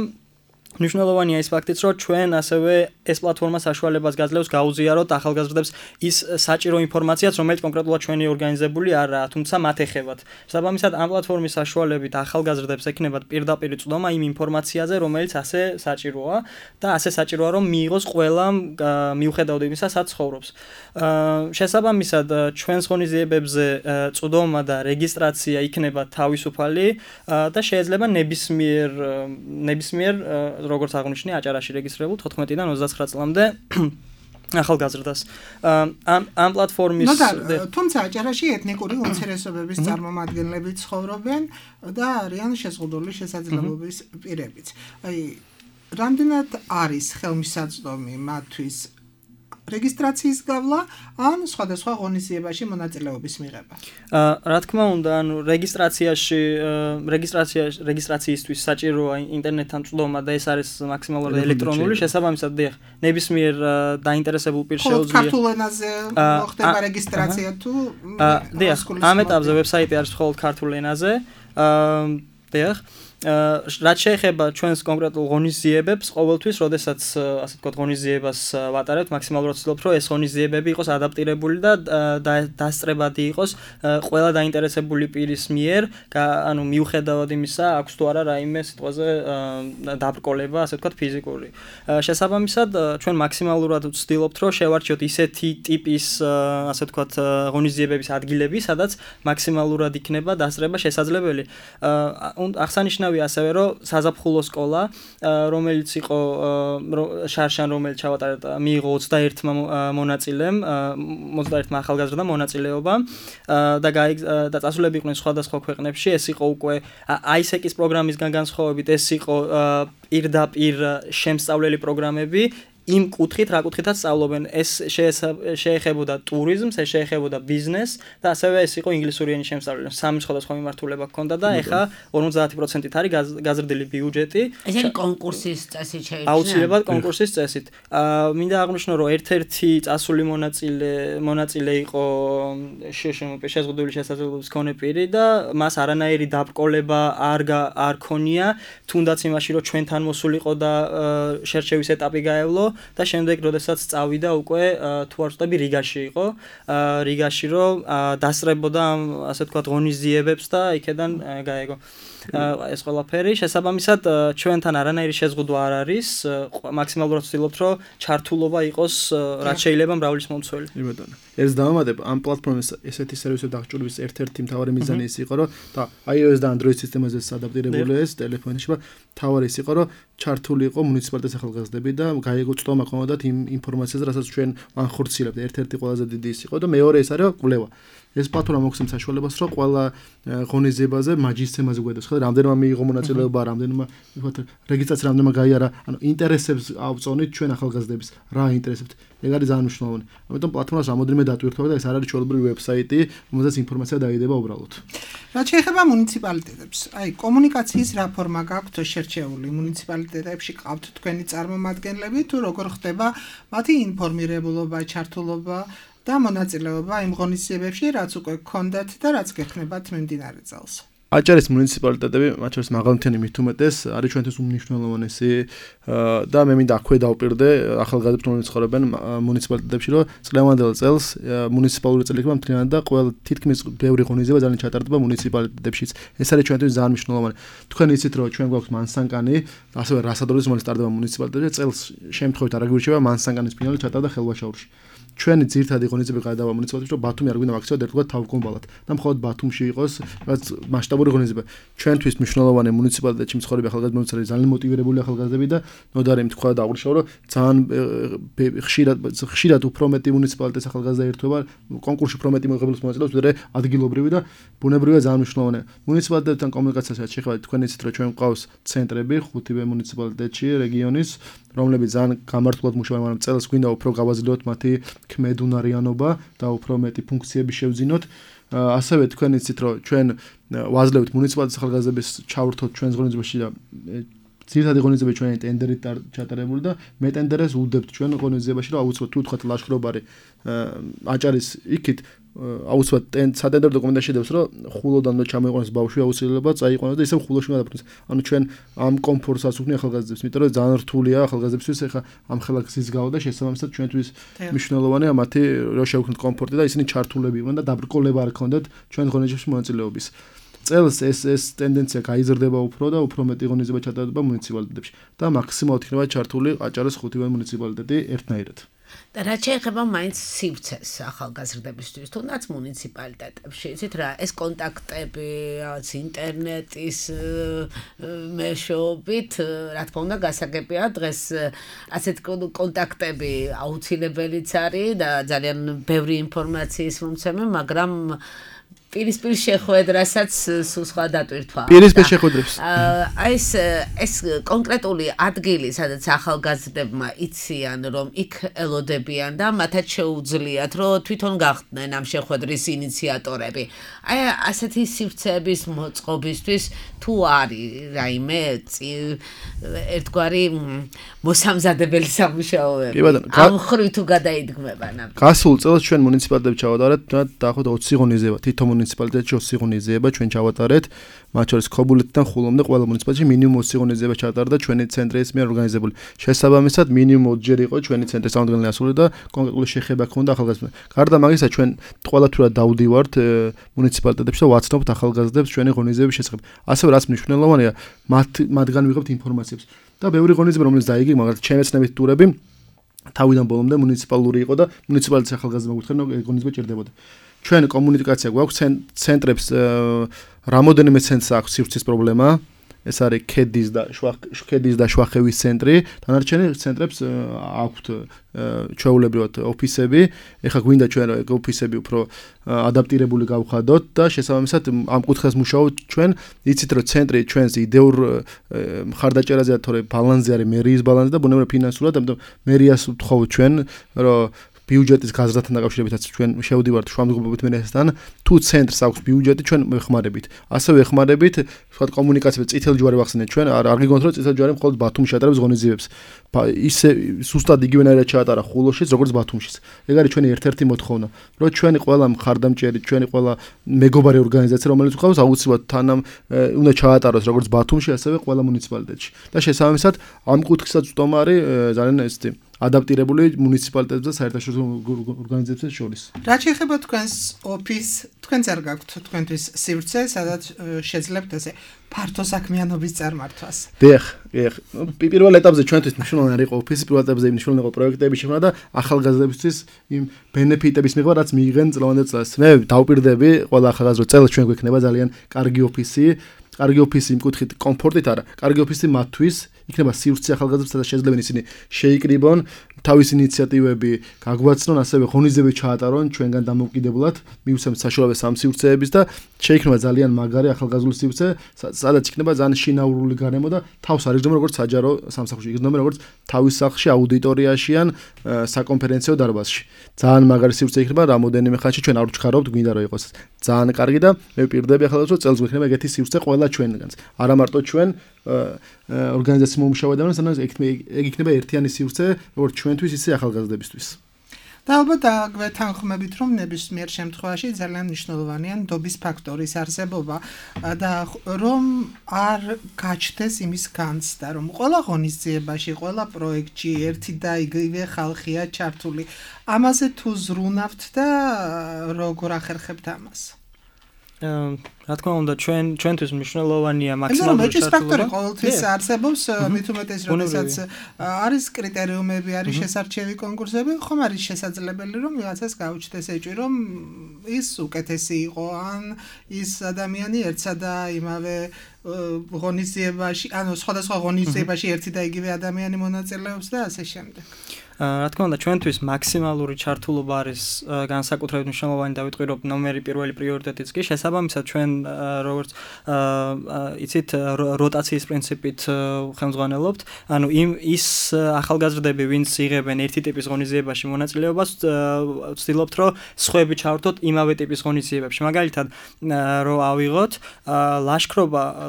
მნიშვნელოვანია ის ფაქტიც, რომ ჩვენ ასევე ეს პლატფორმა საშუალებას გაძლევს გაუზიაროთ ახალგაზრდებს ის საჭირო ინფორმაციაც, რომელიც კონკრეტულად ჩვენი ორგანიზებული არაა, თუმცა მათ ეხებათ. შესაბამისად, ამ პლატფორმის საშუალებით ახალგაზრდებს ექნებათ პირდაპირ წვდომა იმ ინფორმაციაზე, რომელიც ასე საჭიროა და ასე საჭიროა, რომ მიიღოს ყველამ მიუხედავად იმისა, სადაც ცხოვრობს. შესაბამისად, ჩვენს ღონისძიებებზე წვდომა და რეგისტრაცია იქნება თავისუფალი და შეიძლება ნებისმიერ როგორც აღნიშნე აჭარაში რეგისტრირებულ 14-დან 29 წლამდე ახალგაზრდას. ამ პლატფორმის თუმცა აჭარაში ეთნიკური უმცირესობების წარმომადგენლები ცხოვრობენ და არიან შეზღუდული შესაძლებლობის პირებიც. აი, რამდენად არის ხელმისაწვდომი მათთვის რეგისტრაციის გავლა ან სხვადასხვა ღონისძიებაში მონაწილეობის მიღება. რა თქმა უნდა, ანუ რეგისტრაციისთვის საჭიროა ინტერნეტთან წვდომა და ეს არის მაქსიმალურად ელექტრონული, შესაბამისად, დიახ, ნებისმიერ დაინტერესებულ პირს შეუძლია. ქართულ ენაზე მოხდება რეგისტრაცია თუ დიახ, ამ ეტაპზე ვებსაიტი არის მხოლოდ ქართულ ენაზე. დიახ. რაც შეეხება ჩვენს კონკრეტულ ღონისძიებებს, ყოველთვის, როდესაც ასე ვთქვათ, ღონისძიებას ვატარებთ, მაქსიმალურად ვცდილობთ, რომ ეს ღონისძიებები იყოს ადაპტირებული და დასწრებადი იყოს ყველა დაინტერესებული პირის მიერ, ანუ მიუხედავად იმისა, აქვს თუ არა რაიმე სიტყვაზე დაბრკოლება, ასე ვთქვათ, ფიზიკური. შესაბამისად, ჩვენ მაქსიმალურად ვცდილობთ, რომ შევარჩიოთ ისეთი ტიპის, ასე ვთქვათ, ღონისძიებების ადგილები, სადაც მაქსიმალურად იქნება დასწრება შესაძლებელი. აღსანიშნავია ასევე რომ საზაფხულო სკოლა, რომელიც იყო შარშან, რომელიც ჩავატარეთ, მიიღო 21 მონაწილემ, 21 ახალგაზრდა მონაწილეობა და წასულები იყვნენ სხვადასხვა ქვეყნებში. ეს იყო უკვე ISEC-ის პროგრამისგან განსხვავებით, ეს იყო პირდაპირ შემსწავლელი პროგრამები. იმ კუთხით, რა კუთხითაც სწავლობენ, ეს შეეხებოდა ტურიზმს, ეს შეეხებოდა ბიზნესს და ასევე ეს იყო ინგლისური ენის შემსწავლელი. სამი სხვადასხვა მიმართულება ჰქონდა და ეხა 50%-ით არის გაზრდილი ბიუჯეტი. ეს არის კონკურსის წესით შეიჭრა. აუცილებლად კონკურსის წესით. მინდა აღვნიშნო, რომ ერთ-ერთი წასული მონაწილე იყო შეზღუდული შესაძლებლობის მქონე პირი და მას არანაირი დაბრკოლება არ ქონია, თუნდაც იმაში, რომ ჩვენთან მოსულიყო და შერჩევის ეტაპი გაევლო. და შემდეგ, როდესაც წავიდა უკვე თუ არ ვწდები რიგაში იყო, რიგაში რომ დასწრებოდა ასე ვთქვათ ღონისძიებებს და იქედან გაეგო ეს ყველაფერი. შესაბამისად, ჩვენთან არანაირი შეზღუდვა არ არის, მაქსიმალურად ვცდილობთ, რომ ჩართულობა იყოს რაც შეიძლება მრავლის მომცველი. კი ბატონო. ეს დავამატებ, ამ პლატფორმის ესეთი სერვისები დახჭურვის ერთ-ერთი მთავარი მიზანი ის იყო, რომ და iOS და Android სისტემაზე ადაპტირებული ეს ტელეფონში, მთავარი ის იყო, რომ ჩართული იყო მუნიციპალიტეტის ახალგაზრდები და გაიგო წტომა ქონოდათ იმ ინფორმაციაზე, რასაც ჩვენ ვანხორციელებთ. ერთ-ერთი ყველაზე დიდი ის იყო და მეორე ის არის, რომ კვლევა. ეს პლატფორმა მოგვცემს საშუალებას, რომ ყველა ღონისძიებაზე მაჯისცემაზე გვედოს, ხო, რამდენმა მიიღო მონაწილეობა, რამდენმა ვთქვათ, რეგისტრაცია რამდენმა გაიარა, ანუ ინტერესებს ავწონით ჩვენ ახალგაზრდებს, რა ინტერესებთ. ეგ არის ძალიან მნიშვნელოვანი. ამიტომ პლატფორმას რამოდენიმე დატვირთვა და ეს არ არის ჩვეულებრივი ვებსაიტი, რომელზეც ინფორმაცია დაიდება უბრალოდ. რაც შეეხება მუნიციპალიტეტებს, აი კომუნიკაციის რა ფორმა გაქვთ შერჩეული მუნიციპალიტეტებში, ყავთ თქვენი წარმომადგენლები თუ როგორ ხდება მათი ინფორმირებულობა, ჩართულობა და მონაწილეობა იმ ღონისძიებებში, რაც უკვე გქონდათ და რაც გექნებათ მიმდინარე წელს. აჭარის მუნიციპალიტეტები, მათ შორის მაღალმთიანი მით უმეტეს, არის ჩვენთვის უმნიშვნელოვანესი და მე მინდა აქვე დავპირდე ახალგაზრდებს, რომლებიც ცხოვრობენ მუნიციპალიტეტებში, რომ წლევანდელ წელს მუნიციპალური წელი იქნება მთლიანად და ყველა თითქმის ბევრი ღონისძიება ძალიან ჩატარდება მუნიციპალიტეტებშიც. ეს არის ჩვენთვის ძალიან მნიშვნელოვანი. თქვენ იცით, რომ ჩვენ გვაქვს მანსანკანი, ასევე რასადროის მომენტ სტარტდება მუნიციპალიტეტებში, წელს შემთხვევით არ აგვირჩევა მანსანკანის ფინალი ჩატარდა ხელვაშაურში. ჩვენი ძირითადი ღონისძიება გადავა მუნიციპალიტეტში, რომ ბათუმი არ გვინდა აქციად ერთგვარ თავგონბალად და მხოლოდ ბათუმში იყოს რაც მასშტაბური ღონისძიება. ჩვენთვის მნიშვნელოვანი მუნიციპალიტეტში მცხოვრები ახალგაზრდები ძალიან მოტივირებული ახალგაზრდები და ნოდარი თქვა და აღნიშნავ, რომ ძალიან ხშირად უფრო მეტი მუნიციპალიტეტის ახალგაზრდა ერთვება კონკურსში უფრო მეტი მოღებლის მონაწილეობს, ვიდრე ადგილობრივი და ბუნებრივია ძალიან მნიშვნელოვანია. მუნიციპალიტეტთან კომუნიკაციასაც შეხება, თქვენ იცით, რომ ჩვენ გვყავს ცენტრები 5 მუნიციპალიტეტში რეგიონის, რომლებიც ძალიან გამართულად მუშაობენ, მაგრამ წელს გვინდა უფრო გავაზრდოთ მათი ქმედუნარიანობა და უფრო მეტი ფუნქციები შევძინოთ. ასევე თქვენ იცით, რომ ჩვენ ვაძლევთ მუნიციპალიტეტის ახალგაზრდების ჩავრთოთ ჩვენს ღონისძიებაში და ძირითადი ღონისძიება ჩვენი ტენდერით ჩატარებული და მე ტენდერს უდევთ ჩვენ ღონისძიებაში, რომ აუცილებლად თუ თქვათ ლაშქრობარი აჭარის იქით აუცილებლად სატენდერო დოკუმენტაში შედევს, რომ ხულოდან უნდა ჩამოიყვანოს ბავშვი აუცილებლად წაიყვანოს და ისევ ხულოში უნდა დაფრინოს. ანუ ჩვენ ამ კომფორტსაც ვქნი ახალგაზრდებს, იმიტომ რომ ძალიან რთულია ახალგაზრდებისთვის ეხა ამ ხელა გზის გავა და შესაბამისად ჩვენთვის მნიშვნელოვანია მათი რომ შევქმნით კომფორტი და ისინი ჩართულები იყვნენ და დაბრკოლება არ ქონდეთ ჩვენ ღონისძიებაში მონაწილეობის. წელს ეს ტენდენცია გაიზრდება უფრო და უფრო მეტი ღონისძიება ჩატარდება მუნიციპალიტეტებში და მაქსიმალურად იქნება ჩართული აჭარის 5 მუნიციპალიტეტი ერთნაირად. და რაც შეეხება მაინც სივრცეს ახალგაზრდებისთვის, თუნდაც მუნიციპალიტეტებში, იცით რა, ეს კონტაქტები, ინტერნეტის მეშვეობით, რა თქმა უნდა, გასაგებია, დღეს ასეთ კონტაქტები აუცილებელიც არის და ძალიან ბევრი ინფორმაციის მომცემი, მაგრამ პირისპირ შეხვედრასაც სულ სხვა დატვირთვა. პირისპირ შეხვედრებს. აი ეს კონკრეტული ადგილი, სადაც ახალგაზრდებმა იციან, რომ იქ ელოდებიან და მათაც შეუძლიათ, რომ თვითონ გახდნენ ამ შეხვედრის ინიციატორები. აი ასეთი სივრცეების მოწყობისთვის თუ არის რაიმე ერთგვარი მოსამზადებელი სამუშაოები. ამ ხრივ თუ გადაიდგმება ნამდვილად. გასულ წელს ჩვენ მუნიციპალიტეტში ჩავატარეთ დაახლოებით 20 ღონისძიება. თითო მუნიციპალიტეტში 20 ღონისძიება ჩვენ ჩავატარეთ. მათ შორის ქობულეთიდან ხულომდე ყველა მუნიციპალიტეტში მინიმუმ 20 ღონისძიება ჩატარდა ჩვენი ცენტრის მიერ ორგანიზებული. შესაბამისად მინიმუმ 20 ჯერ იყო ჩვენი ცენტრის წარმომადგენელი ასული და კონკრეტული შეხება ჰქონდა ახალგაზრდებს. გარდა მაგისა ჩვენ ყველათურად დავდივართ მუნიციპალიტეტებში და ვაცნობთ ახალგაზრდებს ჩვენი ღონისძიების შესახებ. ასევე რაც მნიშვნელოვანია, მათგან ვიღებთ ინფორმაციებს. და ბევრი ღონისძიება რომელიც დაიგეგმა, მაგალითად ჩემი ცნებით ტურები თავიდან ბოლომდე მუნიციპალური იყო და მუნიციპალიტეტის ახალგაზრდა მოგვითხრენ ღონისძიება ჭირდებოდა. ჩვენ კომუნიკაცია გვაქვს ცენტრებს რამოდენიმე ცენტრს აქვს სივრცის პრობლემა. ეს არის ქედის და შვახევის ცენტრი. დანარჩენი ცენტრებს აქვთ ჩვეულებრივად ოფისები. ეხლა გვინდა ჩვენ ოფისები უფრო ადაპტირებული გავხადოთ და შესაბამისად ამ კუთხეს მუშაობთ ჩვენ. იცით რომ ცენტრი ჩვენს იდეურ მხარდაჭერაზეა, თორე ბალანსზე არის მერიის ბალანსი და ბუნებრივად ფინანსურად, ამიტომ მერიას ვთხოვთ ჩვენ, რომ ბიუჯეტის გაზრდასთან დაკავშირებითაც ჩვენ შევდივართ შუამდგომობით მერიასთან. თუ ცენტრს აქვს ბიუჯეტი, ჩვენ ვეხმარებით. ასევე ვეხმარებით, ვთქვათ, კომუნიკაციაზე წითელი ჯვარი ვახსენეთ ჩვენ, არ გიგონთ რომ წითელი ჯვარი მხოლოდ ბათუმში ატარებს ღონისძიებებს. ისე სუსტად იგივენაირად ჩაატარა ხულოშიც, როგორც ბათუმშიც. ეგ არის ჩვენი ერთ-ერთი მოთხოვნა, რომ ჩვენი ყველა მხარდამჭერი, ჩვენი ყველა მეგობარი ორგანიზაცია, რომელიც გვყავს, აუცილებლად თანამ უნდა ჩაატაროს როგორც ბათუმში, ასევე ყველა მუნიციპალიტეტში. და შესაბამისად, ამ კუთხესაც ვტომა არის ძალიან ესეთი ადაპტირებული მუნიციპალიტეტებს და საერთაშორისო ორგანიზაციებს შორის. რა შეეხება თქვენს ოფისს, თქვენც არ გაქვთ თქვენთვის სივრცე, სადაც შეძლებთ ესე ფართო საქმიანობის წარმართვას? დიახ. პირველ ეტაპზე ჩვენთვის მნიშვნელოვანი იყო ოფისი, პირველ ეტაპზე მნიშვნელოვანი იყო პროექტების შექმნა და ახალგაზრდებისთვის იმ ბენეფიტების მიღება, რაც მიიღენ წლევანდელ წელს. მე დავპირდები ყველა ახალგაზრდა წელს ჩვენ გვექნება ძალიან კარგი ოფისი. კარგი ოფისი იმ კუთხით კომფორტით არა, კარგი ოფისი მათთვის იქნება სივრცე ახალგაზრდებს, სადაც შეძლებენ ისინი შეიკრიბონ, თავის ინიციატივები გაგვაცნონ, ასევე ღონისძიებები ჩაატარონ ჩვენგან დამოუკიდებლად, მივცემთ საშუალებას ამ სივრცეების და შეიქმნება ძალიან მაგარი ახალგაზრდული სივრცე, სადაც იქნება ძალიან შინაურული გარემო და თავს არ იგრძნობა როგორც საჯარო სამსახურში, იგრძნობა როგორც თავის სახლში, აუდიტორიაში ან საკონფერენციო დარბაზში. ძალიან მაგარი სივრცე იქნება რამოდენიმე ხანში, ჩვენ არ ვჩქარობთ, გვინდა რომ იყოს ძალიან კარგი და მე ვპირდები ახალგაზრდებს, რომ წელს გვექნება ეგეთი სივრცე ყველა ჩვენგანს. არა მარტო ჩვენ ორგანიზაციის მომუშავეებთან, სადაც ეგ იქნება ერთიანი სივრცე, როგორც ჩვენთვის, ისე ახალგაზრდებისთვის. და ალბათ გვეთანხმებით, რომ ნებისმიერ შემთხვევაში ძალიან მნიშვნელოვანია ნდობის ფაქტორის არსებობა და რომ არ გაჩნდეს იმის განცდა, რომ ყველა ღონისძიებაში, ყველა პროექტში ერთი და იგივე ხალხია ჩართული. ამაზე თუ ზრუნავთ და როგორ ახერხებთ ამას? რა თქმა უნდა ჩვენთვის მნიშვნელოვანია მაქსიმალური მეჭრის ფაქტორი ყოველთვის არსებობს, მით უმეტეს როდესაც არის კრიტერიუმები, არის შესარჩევი კონკურსები, ხომ არის შესაძლებელი რომ ვიღაცას გაუჩნდეს ეჭვი, რომ ის უკეთესი იყო, ან ის ადამიანი ერთსა და იმავე ღონისძიებაში, ანუ სხვადასხვა ღონისძიებაში ერთი და იგივე ადამიანი მონაწილეობს და ასე შემდეგ. რა თქმა უნდა ჩვენთვის მაქსიმალური ჩართულობა არის განსაკუთრებით მნიშვნელოვანი და ვიტყვი რომ ნომერი პირველი პრიორიტეტიც კი შესაბამისად ჩვენ როგორც იცით როტაციის პრინციპით ხელმძღვანელობთ ანუ ის ახალგაზრდები ვინც იღებენ ერთი ტიპის ღონისძიებაში მონაწილეობას ვცდილობთ რომ სხვები ჩავართოთ იმავე ტიპის ღონისძიებებში მაგალითად რომ ავიღოთ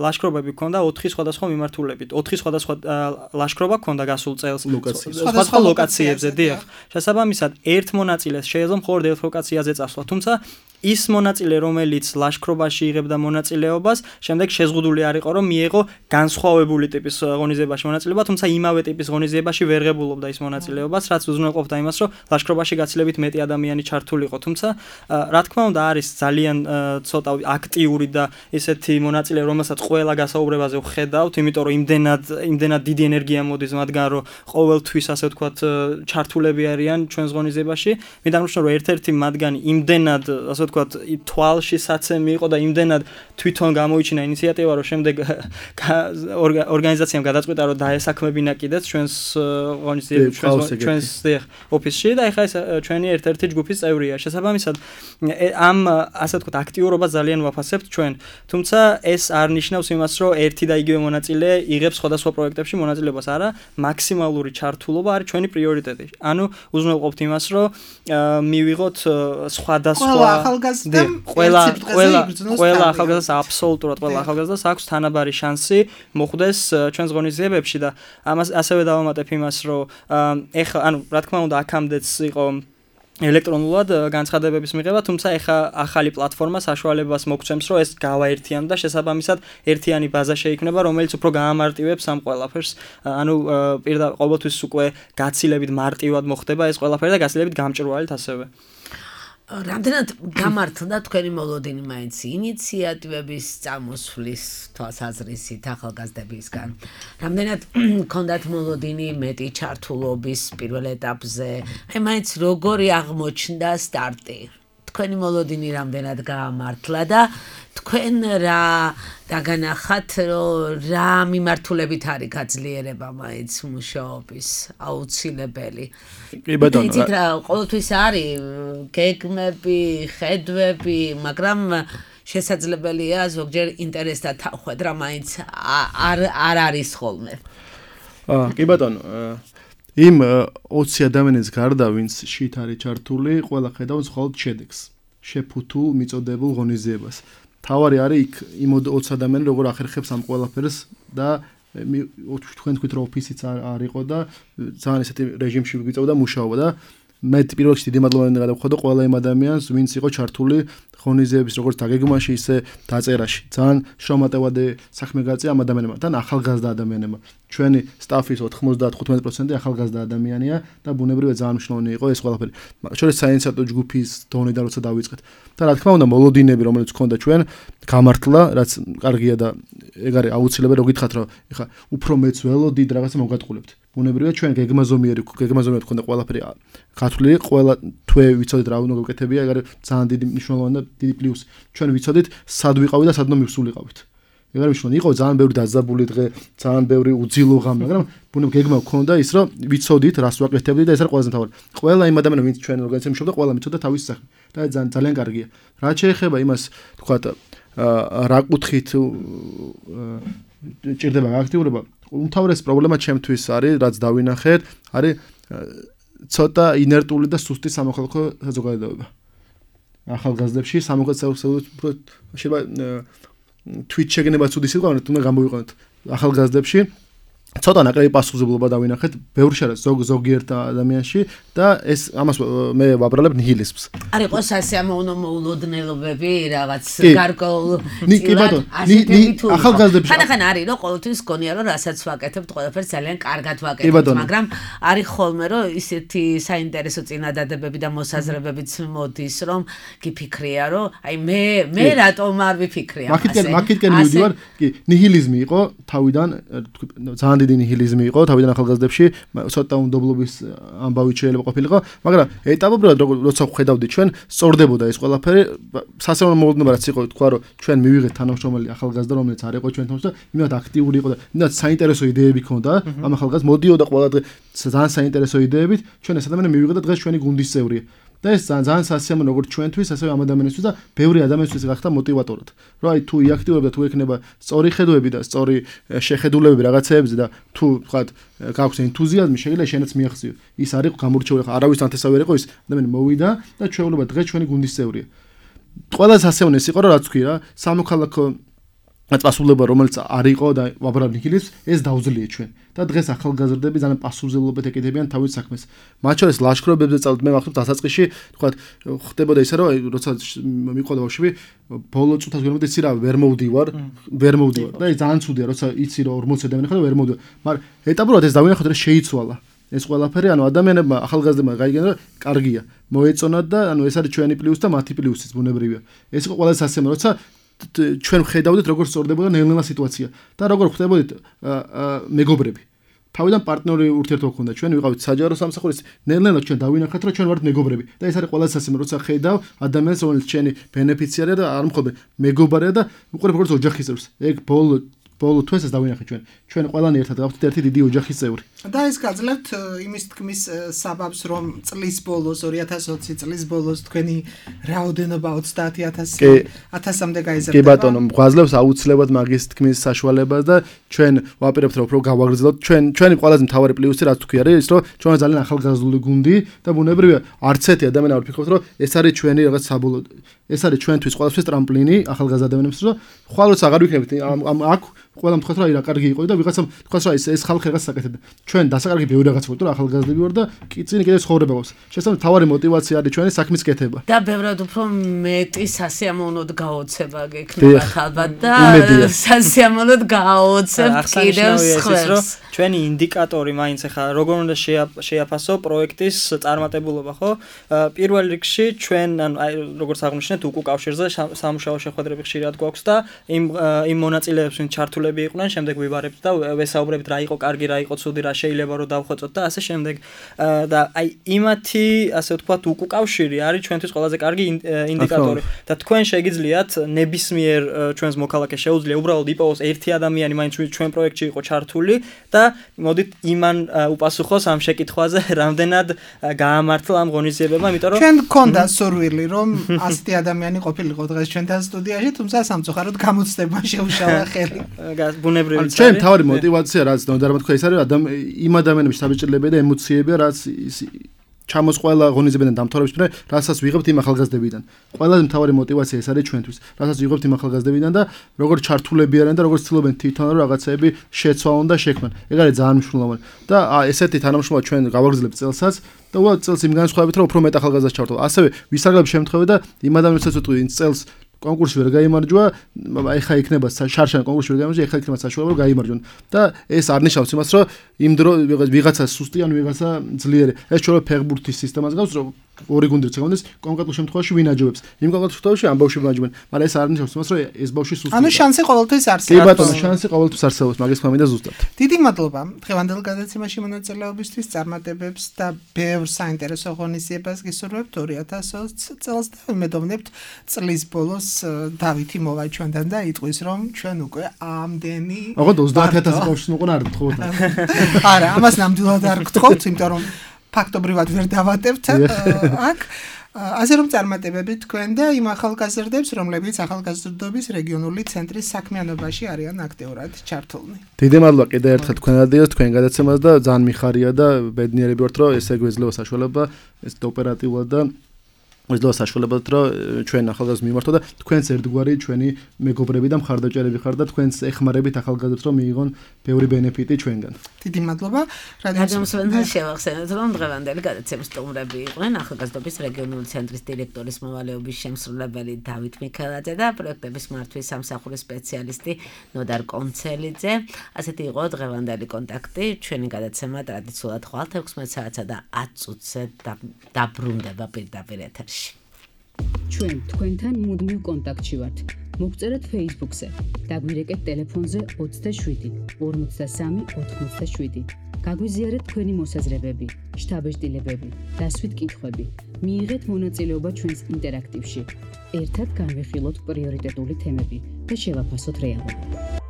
ლაშქრობები ქონდა 4 სხვადასხვა მიმართულებით 4 სხვადასხვა ლაშქრობა ქონდა გასულ წელს სხვადასხვა ლოკაციებზე დიახ შესაბამისად ერთ მონაწილეს შეიძლება მხოლოდ ერთ ლოკაციაზე წასვლა თუმცა ის მონაწილე რომელიც ლაშქრობაში იღებდა მონაწილეობას შემდეგ შეზღუდული არ იყო რომ მიიღო განსხვავებული ტიპის ღონისძიებაში მონაწილეობა თუმცა იმავე ტიპის ღონისძიებაში ვერ ღებულობდა ის მონაწილეობას რაც უზრუნველყოფდა იმას რომ ლაშქრობაში გაცილებით მეტი ადამიანი ჩართული იყო თუმცა რა თქმა უნდა არის ძალიან ცოტა აქტიური და ესეთი მონაწილე რომელსაც ყველა გასაუბრებაზე ვხედავთ იმიტომ რომ იმდენად დიდი ენერგია მოდის მათგან რომ ყოველთვის ასე ვთქვათ ჩართულები არიან ჩვენს ღონისძიებაში მე დამრჩნევ რომ ერთ-ერთი მათგანი იმდენად ასე თქვა თვალში საცემი იყო და იმდენად თვითონ გამოიჩინა ინიციატივა რომ შემდეგ ორგანიზაციამ გადაწყვიტა რომ დაესაქმებინა კიდეც ჩვენს ჩვენს ოფისში და ეხლა ეს ჩვენი ერთ-ერთი ჯგუფის წევრია. შესაბამისად ამ ასე ვთქვათ აქტიურობა ძალიან ვაფასებთ ჩვენ. თუმცა ეს არ ნიშნავს იმას რომ ერთი და იგივე მონაწილე იღებს სხვადასხვა პროექტებში მონაწილეობას, არა, მაქსიმალური ჩართულობა არის ჩვენი პრიორიტეტი. ანუ უზრუნველყოფთ იმას რომ მივიღოთ სხვადასხვა ყველა ახალგაზრდას აბსოლუტურად ყველა ახალგაზრდას აქვს თანაბარი შანსი მოხვდეს ჩვენს ღონისძიებებში და ამას ასევე დავამატებ იმას რომ ეხლა ანუ რა თქმა უნდა აქამდეც იყო ელექტრონულად განცხადებების მიღება, თუმცა ეხა ახალი პლატფორმა საშუალებას მოგცემს, რომ ეს გავაერთიან და შესაბამისად ერთიანი ბაზა შეიქმნება, რომელიც უფრო გაამარტივებს ამ ყველაფერს. ანუ ყოველთვის უკვე გაცილებით მარტივად მოხდება ეს ყველაფერი და გაცილებით გამჭვირვალედ ასევე. რამდენად გამართლდა თქვენი მოლოდინი მაინც ინიციატივების წამოსვლის თვალსაზრისით ახალგაზრდებისგან? რამდენად ქონდათ მოლოდინი მეტი ჩართულობის პირველ ეტაპზე? აი მაინც როგორი აღმოჩნდა სტარტი? თქვენი მოლოდინი რამდენად გაამართლა და თქვენ რა დაგანახათ რომ რა მიმართულებით არის გაძლიერება მაინც მუშაობის აუცილებელი? კი ბატონო, იცით რა ყოველთვის არის გეგმები, ხედვები, მაგრამ შესაძლებელია ზოგჯერ ინტერესთან თავხედრა მაინც არ არის ხოლმე. კი ბატონო, იმ 20 ადამიანის გარდა ვინც შით არის ჩართული, ყველა ხედავს მხოლოდ შედეგს, შეფუთულ მიწოდებულ ღონისძიებას. თავარი არის იქ იმ 20 ადამიანი როგორ ახერხებს ამ ყველაფერს და თქვენ თქვით რომ ოფისიც არ იყო და ძალიან ესეთი რეჟიმში გვიწევდა მუშაობა და მე პირველ რიგში დიდი მადლობა უნდა გადავხადო ყველა იმ ადამიანს ვინც იყო ჩართული ღონისძიების როგორც დაგეგმაში ისე დაწერაში. ძალიან შრომატევადი საქმე გაწია ამ ადამიანებმა და ახალგაზრდა ადამიანებმა. ჩვენი სტაფის 95% ახალგაზრდა ადამიანია და ბუნებრივია ძალიან მნიშვნელოვანი იყო ეს ყველაფერი. შორის საინიციატივო ჯგუფის დონიდან როცა დავიწყეთ და რა თქმა უნდა მოლოდინები რომელიც გქონდა ჩვენ გამართლა, რაც კარგია და ეგ არის აუცილებელი რომ გითხრათ რომ ეხა უფრო მეც ველოდით რაღაცა მოგატყულებთ. ბუნებრივია ჩვენ გეგმაზომიერი გქონდა ყველაფერი გათვლილი, ყველა თვე ვიცოდით რა უნდა გავკეთებია, ეგ არის ძალიან დიდი მნიშვნელოვანი და დიდი პლუსი. ჩვენ ვიცოდით სად ვიყავით და სად უნდა მივსულიყავით. ეგ არის მნიშვნელოვანი. იყო ძალიან ბევრი დაძაბული დღე, ძალიან ბევრი უძილო ღამე, მაგრამ ბუნებრივია გეგმა გქონდა ის რომ ვიცოდით რას ვაკეთებდით და ეს არის ყველაზე მთავარი. ყველა იმ ადამიანს ვინც ჩვენ ორგანიზაციაში მუშაობდა, ყველა მიცოდა თავის საქმე და ძალიან კარგია. რაც შეეხება იმას, თქვათ რა კუთხით ჭირდება აქტიურობა, უმთავრესი პრობლემა ჩემთვის არის, რაც დავინახეთ, არის ცოტა ინერტული და სუსტი სამოქალაქო საზოგადოება. ახალგაზრდებში სამოქალაქო შეიძლება თვით შეგნებაც უდის იყო, თუნდა გამოვიყენოთ ახალგაზრდებში ცოტა ნაკლები პასუხისმგებლობა დავინახეთ ბევრ ზოგიერთ ადამიანში და ეს ამას მე ვაბრალებ ნიჰილიზმს. არ იყოს ასე მოულოდნელობები რაღაც გარკვეულ ახალგაზრდებში ხან არის რომ ყოველთვის გონია რომ რასაც ვაკეთებთ ყველაფერს ძალიან კარგად ვაკეთებთ, მაგრამ არის ხოლმე რომ ისეთი საინტერესო წინადადებები და მოსაზრებებიც მოდის რომ გიფიქრია რომ აი მე რატომ არ ვიფიქრე ამაზე. მაგითკენ მივდივარ, კი, ნიჰილიზმი იყო თავიდან ძალიან დიდი ნიჰილიზმი იყო თავიდან ახალგაზრდებში, ცოტა უნდობლობის ამბავი შეიძლება ყოფილიყო, მაგრამ ეტაპობრივად როცა ვხედავდი ჩვენ სწორდებოდა ეს ყველაფერი, სასწავლო მოლოდინება რაც იყო, თქვა რომ ჩვენ მივიღეთ თანამშრომელი ახალგაზრდა რომელიც არ იყო ჩვენთან და იმათ აქტიური იყო და იმათ საინტერესო იდეები ჰქონდა, ამ ახალგაზრდას მოდიოდა ყველა დღე ძალიან საინტერესო იდეებით, ჩვენ ეს ადამიანი მივიღეთ და დღეს ჩვენი გუნდის წევრია. და ეს ძალიან სასიამოვნო როგორც ჩვენთვის, ასევე ამ ადამიანისთვის და ბევრი ადამიანისთვის გახდა მოტივატორად. რომ აი თუ იაქტიურებდა, თუ ექნება სწორი ხედვები და სწორი შეხედულებები რაღაცეებზე და თუ ვთქვათ გაქვს ენთუზიაზმი, შეიძლება შენაც მიახციო. ის არის გამორჩეული, არავის ანთესავი არ იყო ის, ადამიანი მოვიდა და ჩვეულობა დღეს ჩვენი გუნდის წევრია. ყველა სასიამოვნო ის იყო, რომ რაც ვთქვი რა, სამოქალაქო პასუხისმგებლობა რომელიც არ იყო და ვაბრალებ ნიჰილიზმს, ეს დაუძლია ჩვენ. და დღეს ახალგაზრდები ძალიან პასუხისმგებლობით ეკეთებიან თავის საქმეს. მათ შორის ლაშქრობებზე წავით, მე ვახტობ დასაწყისში, თქვათ, ხდებოდა ისე რომ როცა მიყვადა ბავშვები, ბოლო წუთას ვერმოვდი, იცი რა, ვერ მოვდივარ და ეს ძალიან ცუდია, როცა იცი რომ 40 ადამიანი ხარ და ვერ მოვდივარ. მაგრამ ეტაპურად ეს დავინახოთ რომ შეიცვალა. ეს ყველაფერი, ანუ ადამიანებმა, ახალგაზრდებმა გაიგენა რომ კარგია, მოეწონათ და ანუ ეს არის ჩვენი პლუსი და მათი პლუსიც ბუნებრივია. ეს იყო ყველაზე სასიამოვნო, როცა ჩვენ ხედავდით როგორ სწორდებოდა ნელ-ნელა სიტუაცია და როგორ ხვდებოდით მეგობრები თავიდან პარტნიორი ურთიერთობა ჰქონდა. ჩვენ ვიყავით საჯარო სამსახურის, ნელ-ნელა ჩვენ დავინახეთ, რომ ჩვენ ვართ მეგობრები. და ეს არის ყველაზე სასიმ, როცა ხედავ ადამიანს, რომელიც ჩვენი ბენეფიციარია და არ მხოლოდ მეგობარია და უყურებ როგორც ოჯახის წევრს. ეგ ბოლო თვესაც დავინახეთ ჩვენ ყველანი ერთად გავხდით ერთი დიდი ოჯახის წევრი. და ეს გაძლევთ იმის თქმის საბაბს, რომ წლის ბოლოს 2020 წლის ბოლოს თქვენი რაოდენობა 30,000-მდე გაიზარდა. კი ბატონო, გვაძლევს აუცილებლად მაგის თქმის საშუალებას და ჩვენ ვაპირებთ რომ უფრო გავაგრძელოთ. ჩვენი ყველაზე მთავარი პლუსი რაც თქვი არის ის, რომ ჩვენ ძალიან ახალგაზრდული გუნდი და ბუნებრივია არც ერთი ადამიანი არ ვფიქრობთ, რომ ეს არის ჩვენი რაღაც საბოლოო ეს არის ჩვენთვის ყველაფრის ტრამპლინი ახალგაზრდა ადამიანებს, რომ ხვალ როცა აღარ ვიქნებით აქ ყველამ თქვათ რომ აი რა კარგი იყო და ვიღაცამ თქვათ რომ ეს ხალხი რაღაც საკეთებდა. ჩვენ დასაკარგი ბევრი რაღაც ვიყავით, რომ ახალგაზრდები ვარ და წინ კიდე ცხოვრება გვაქვს. შესაძლოა თავარი мотиваცია არის ჩვენი საქმის კეთება. და ბევრად უფრო მეტი სასიამოვნოდ გაოცება გექნებათ ალბათ და სასიამოვნოდ გაოცებთ კიდევ სხვას. ჩვენი ინდიკატორი მაინც ახლა როგორ უნდა შეაფასო პროექტის წარმატებულობა, ხო? პირველ რიგში ჩვენ ანუ როგორც აღნიშნეთ უკუ კავშირზე სამუშაო შეხვედრები ხშირად გვაქვს და იმ მონაწილეებს ვინც ჩართულები იყვნენ, შემდეგ ვიბარებთ და ვესაუბრებთ რა იყო კარგი, რა იყო ცუდი, რა შეიძლება რომ დავხვეწოთ და ასე შემდეგ. და აი იმათი, ასე ვთქვათ, უკუ კავშირი არის ჩვენთვის ყველაზე კარგი ინდიკატორი. და თქვენ შეგიძლიათ ნებისმიერ ჩვენს მოქალაქეს შეუძლია უბრალოდ იპოვოს ერთი ადამიანი მაინც ჩვენ პროექტში იყო ჩართული და მოდით იმან უპასუხოს ამ შეკითხვაზე, რამდენად გაამართლა ამ ღონისძიებებმა, იმიტომ რომ ჩვენ გქონდა სურვილი, რომ ასეთი ადამიანი ყოფილიყო დღეს ჩვენთან სტუდიაში, თუმცა სამწუხაროდ გამოცდება შეუშალა ხელი. ბუნებრივი არის. ჩვენ თავი мотиваცია რაც ნოდარ თქვა ის არის იმ ადამიანების საბჭოებია და ემოციებია რაც ჩამოს ყველა ღონისძიებიდან დამთავრების πριν, რასაც ვიღებთ იმ ახალგაზრდებიდან. ყველაზე მთავარი мотиваცია ეს არის ჩვენთვის, რასაც ვიღებთ იმ ახალგაზრდებიდან და როგორ ჩართულები არიან და როგორ ცდილობენ თვითონ რომ რაღაცები შეცვალონ და შექმნან. ეგ არის ძალიან მნიშვნელოვანი. და ესეთი თანამშრომლობა ჩვენ გავაგრძელებთ წელსაც და უბრალოდ წელს იმ განსხვავებით რომ უფრო მეტ ახალგაზრდას ჩავთვალ. ასევე ვისარგებლებ შემთხვევით და იმ ადამიანებსაც ვიტყვი ვინც წელს კონკურსი ვერ გაიმარჯვა, ეხა იქნება შარშან კონკურსი ვერ გაიმარჯვა, ეხა იქნება საშუალება რომ გაიმარჯვონ. და ეს არ ნიშნავს იმას, რომ იმ დრო ვიღაცა სუსტი ან ვიღაცა ძლიერი. ეს ჩვენ ფეხბურთის სისტემას გავს, რომ ორი გუნდი რჩევდეს კონკრეტულ შემთხვევაში ვინ აჯობებს. იმ კონკრეტულ შემთხვევაში ამ ბავშვები აჯობენ, მაგრამ ეს არ ნიშნავს იმას, რომ ეს ბავშვი სუსტია. ანუ შანსი ყოველთვის არსებობს. კი ბატონო, შანსი ყოველთვის არსებობს, მაგის ფამინდა ზუსტად. დიდი მადლობა დღევანდელ გადაცემაში მონაწილეობისთვის, წარმატებებს და ბევრ საინტერესო ღონისძიებას გისურვებთ 2020 წელს და ვიმედოვნებთ წლის ბოლოს დავითი მოვა ჩვენთან და იტყვის რომ ჩვენ უკვე ამდენი ოღონდ 30,000 ბავშვს მოყვა არ გთხოვთ. არა, ამას ნამდვილად არ გთხოვთ, იმიტომ რომ ფაქტობრივად ვერ დავატებთ აქ. ასე რომ წარმატებები თქვენ და იმ ახალგაზრდებს, რომლებიც ახალგაზრდობის რეგიონული ცენტრის საქმიანობაში არიან აქტიურად ჩართულნი. დიდი მადლობა კიდევ ერთხელ თქვენადიოს თქვენ გადაცემას და ძალიან მიხარია და ბედნიერები ვართ რომ ესე გვეძლევა საშუალება ეს ოპერატიულად და გვეძლევა საშუალებად რომ ჩვენ ახალგაზრდებს მიმართოთ და თქვენს ერთგვარი ჩვენი მეგობრები და მხარდაჭერები ხართ და თქვენს ეხმარებით ახალგაზრდებს რომ მიიღონ ბევრი ბენეფიტი ჩვენგან. დიდი მადლობა. რადიომსვენთან შევახსენოთ რომ დღევანდელი გადაცემის სტუმრები იყვნენ ახალგაზრდობის რეგიონული ცენტრის დირექტორის მოვალეობის შემსრულებელი დავით მიქელაძე და პროექტების მართვის სამსახურის სპეციალისტი ნოდარ კონცელიძე. ასეთი იყო დღევანდელი კონტაქტი. ჩვენი გადაცემა ტრადიციულად ხვალ 16 საათსა და 10 წუთზე დაბრუნდება პირდაპირ ეთერში. ჩვენ თქვენთან მუდმივ კონტაქტში ვართ. მოგწერეთ Facebook-ზე, დაგვირეკეთ ტელეფონზე 27 53 87. გაგვიზიარეთ თქვენი მოსაზრებები, შთაბეჭდილებები, დასვით კითხვები. მიიღეთ მონაწილეობა ჩვენს ინტერაქტივში. ერთად განვიხილოთ პრიორიტეტული თემები და შევაფასოთ რეალობა.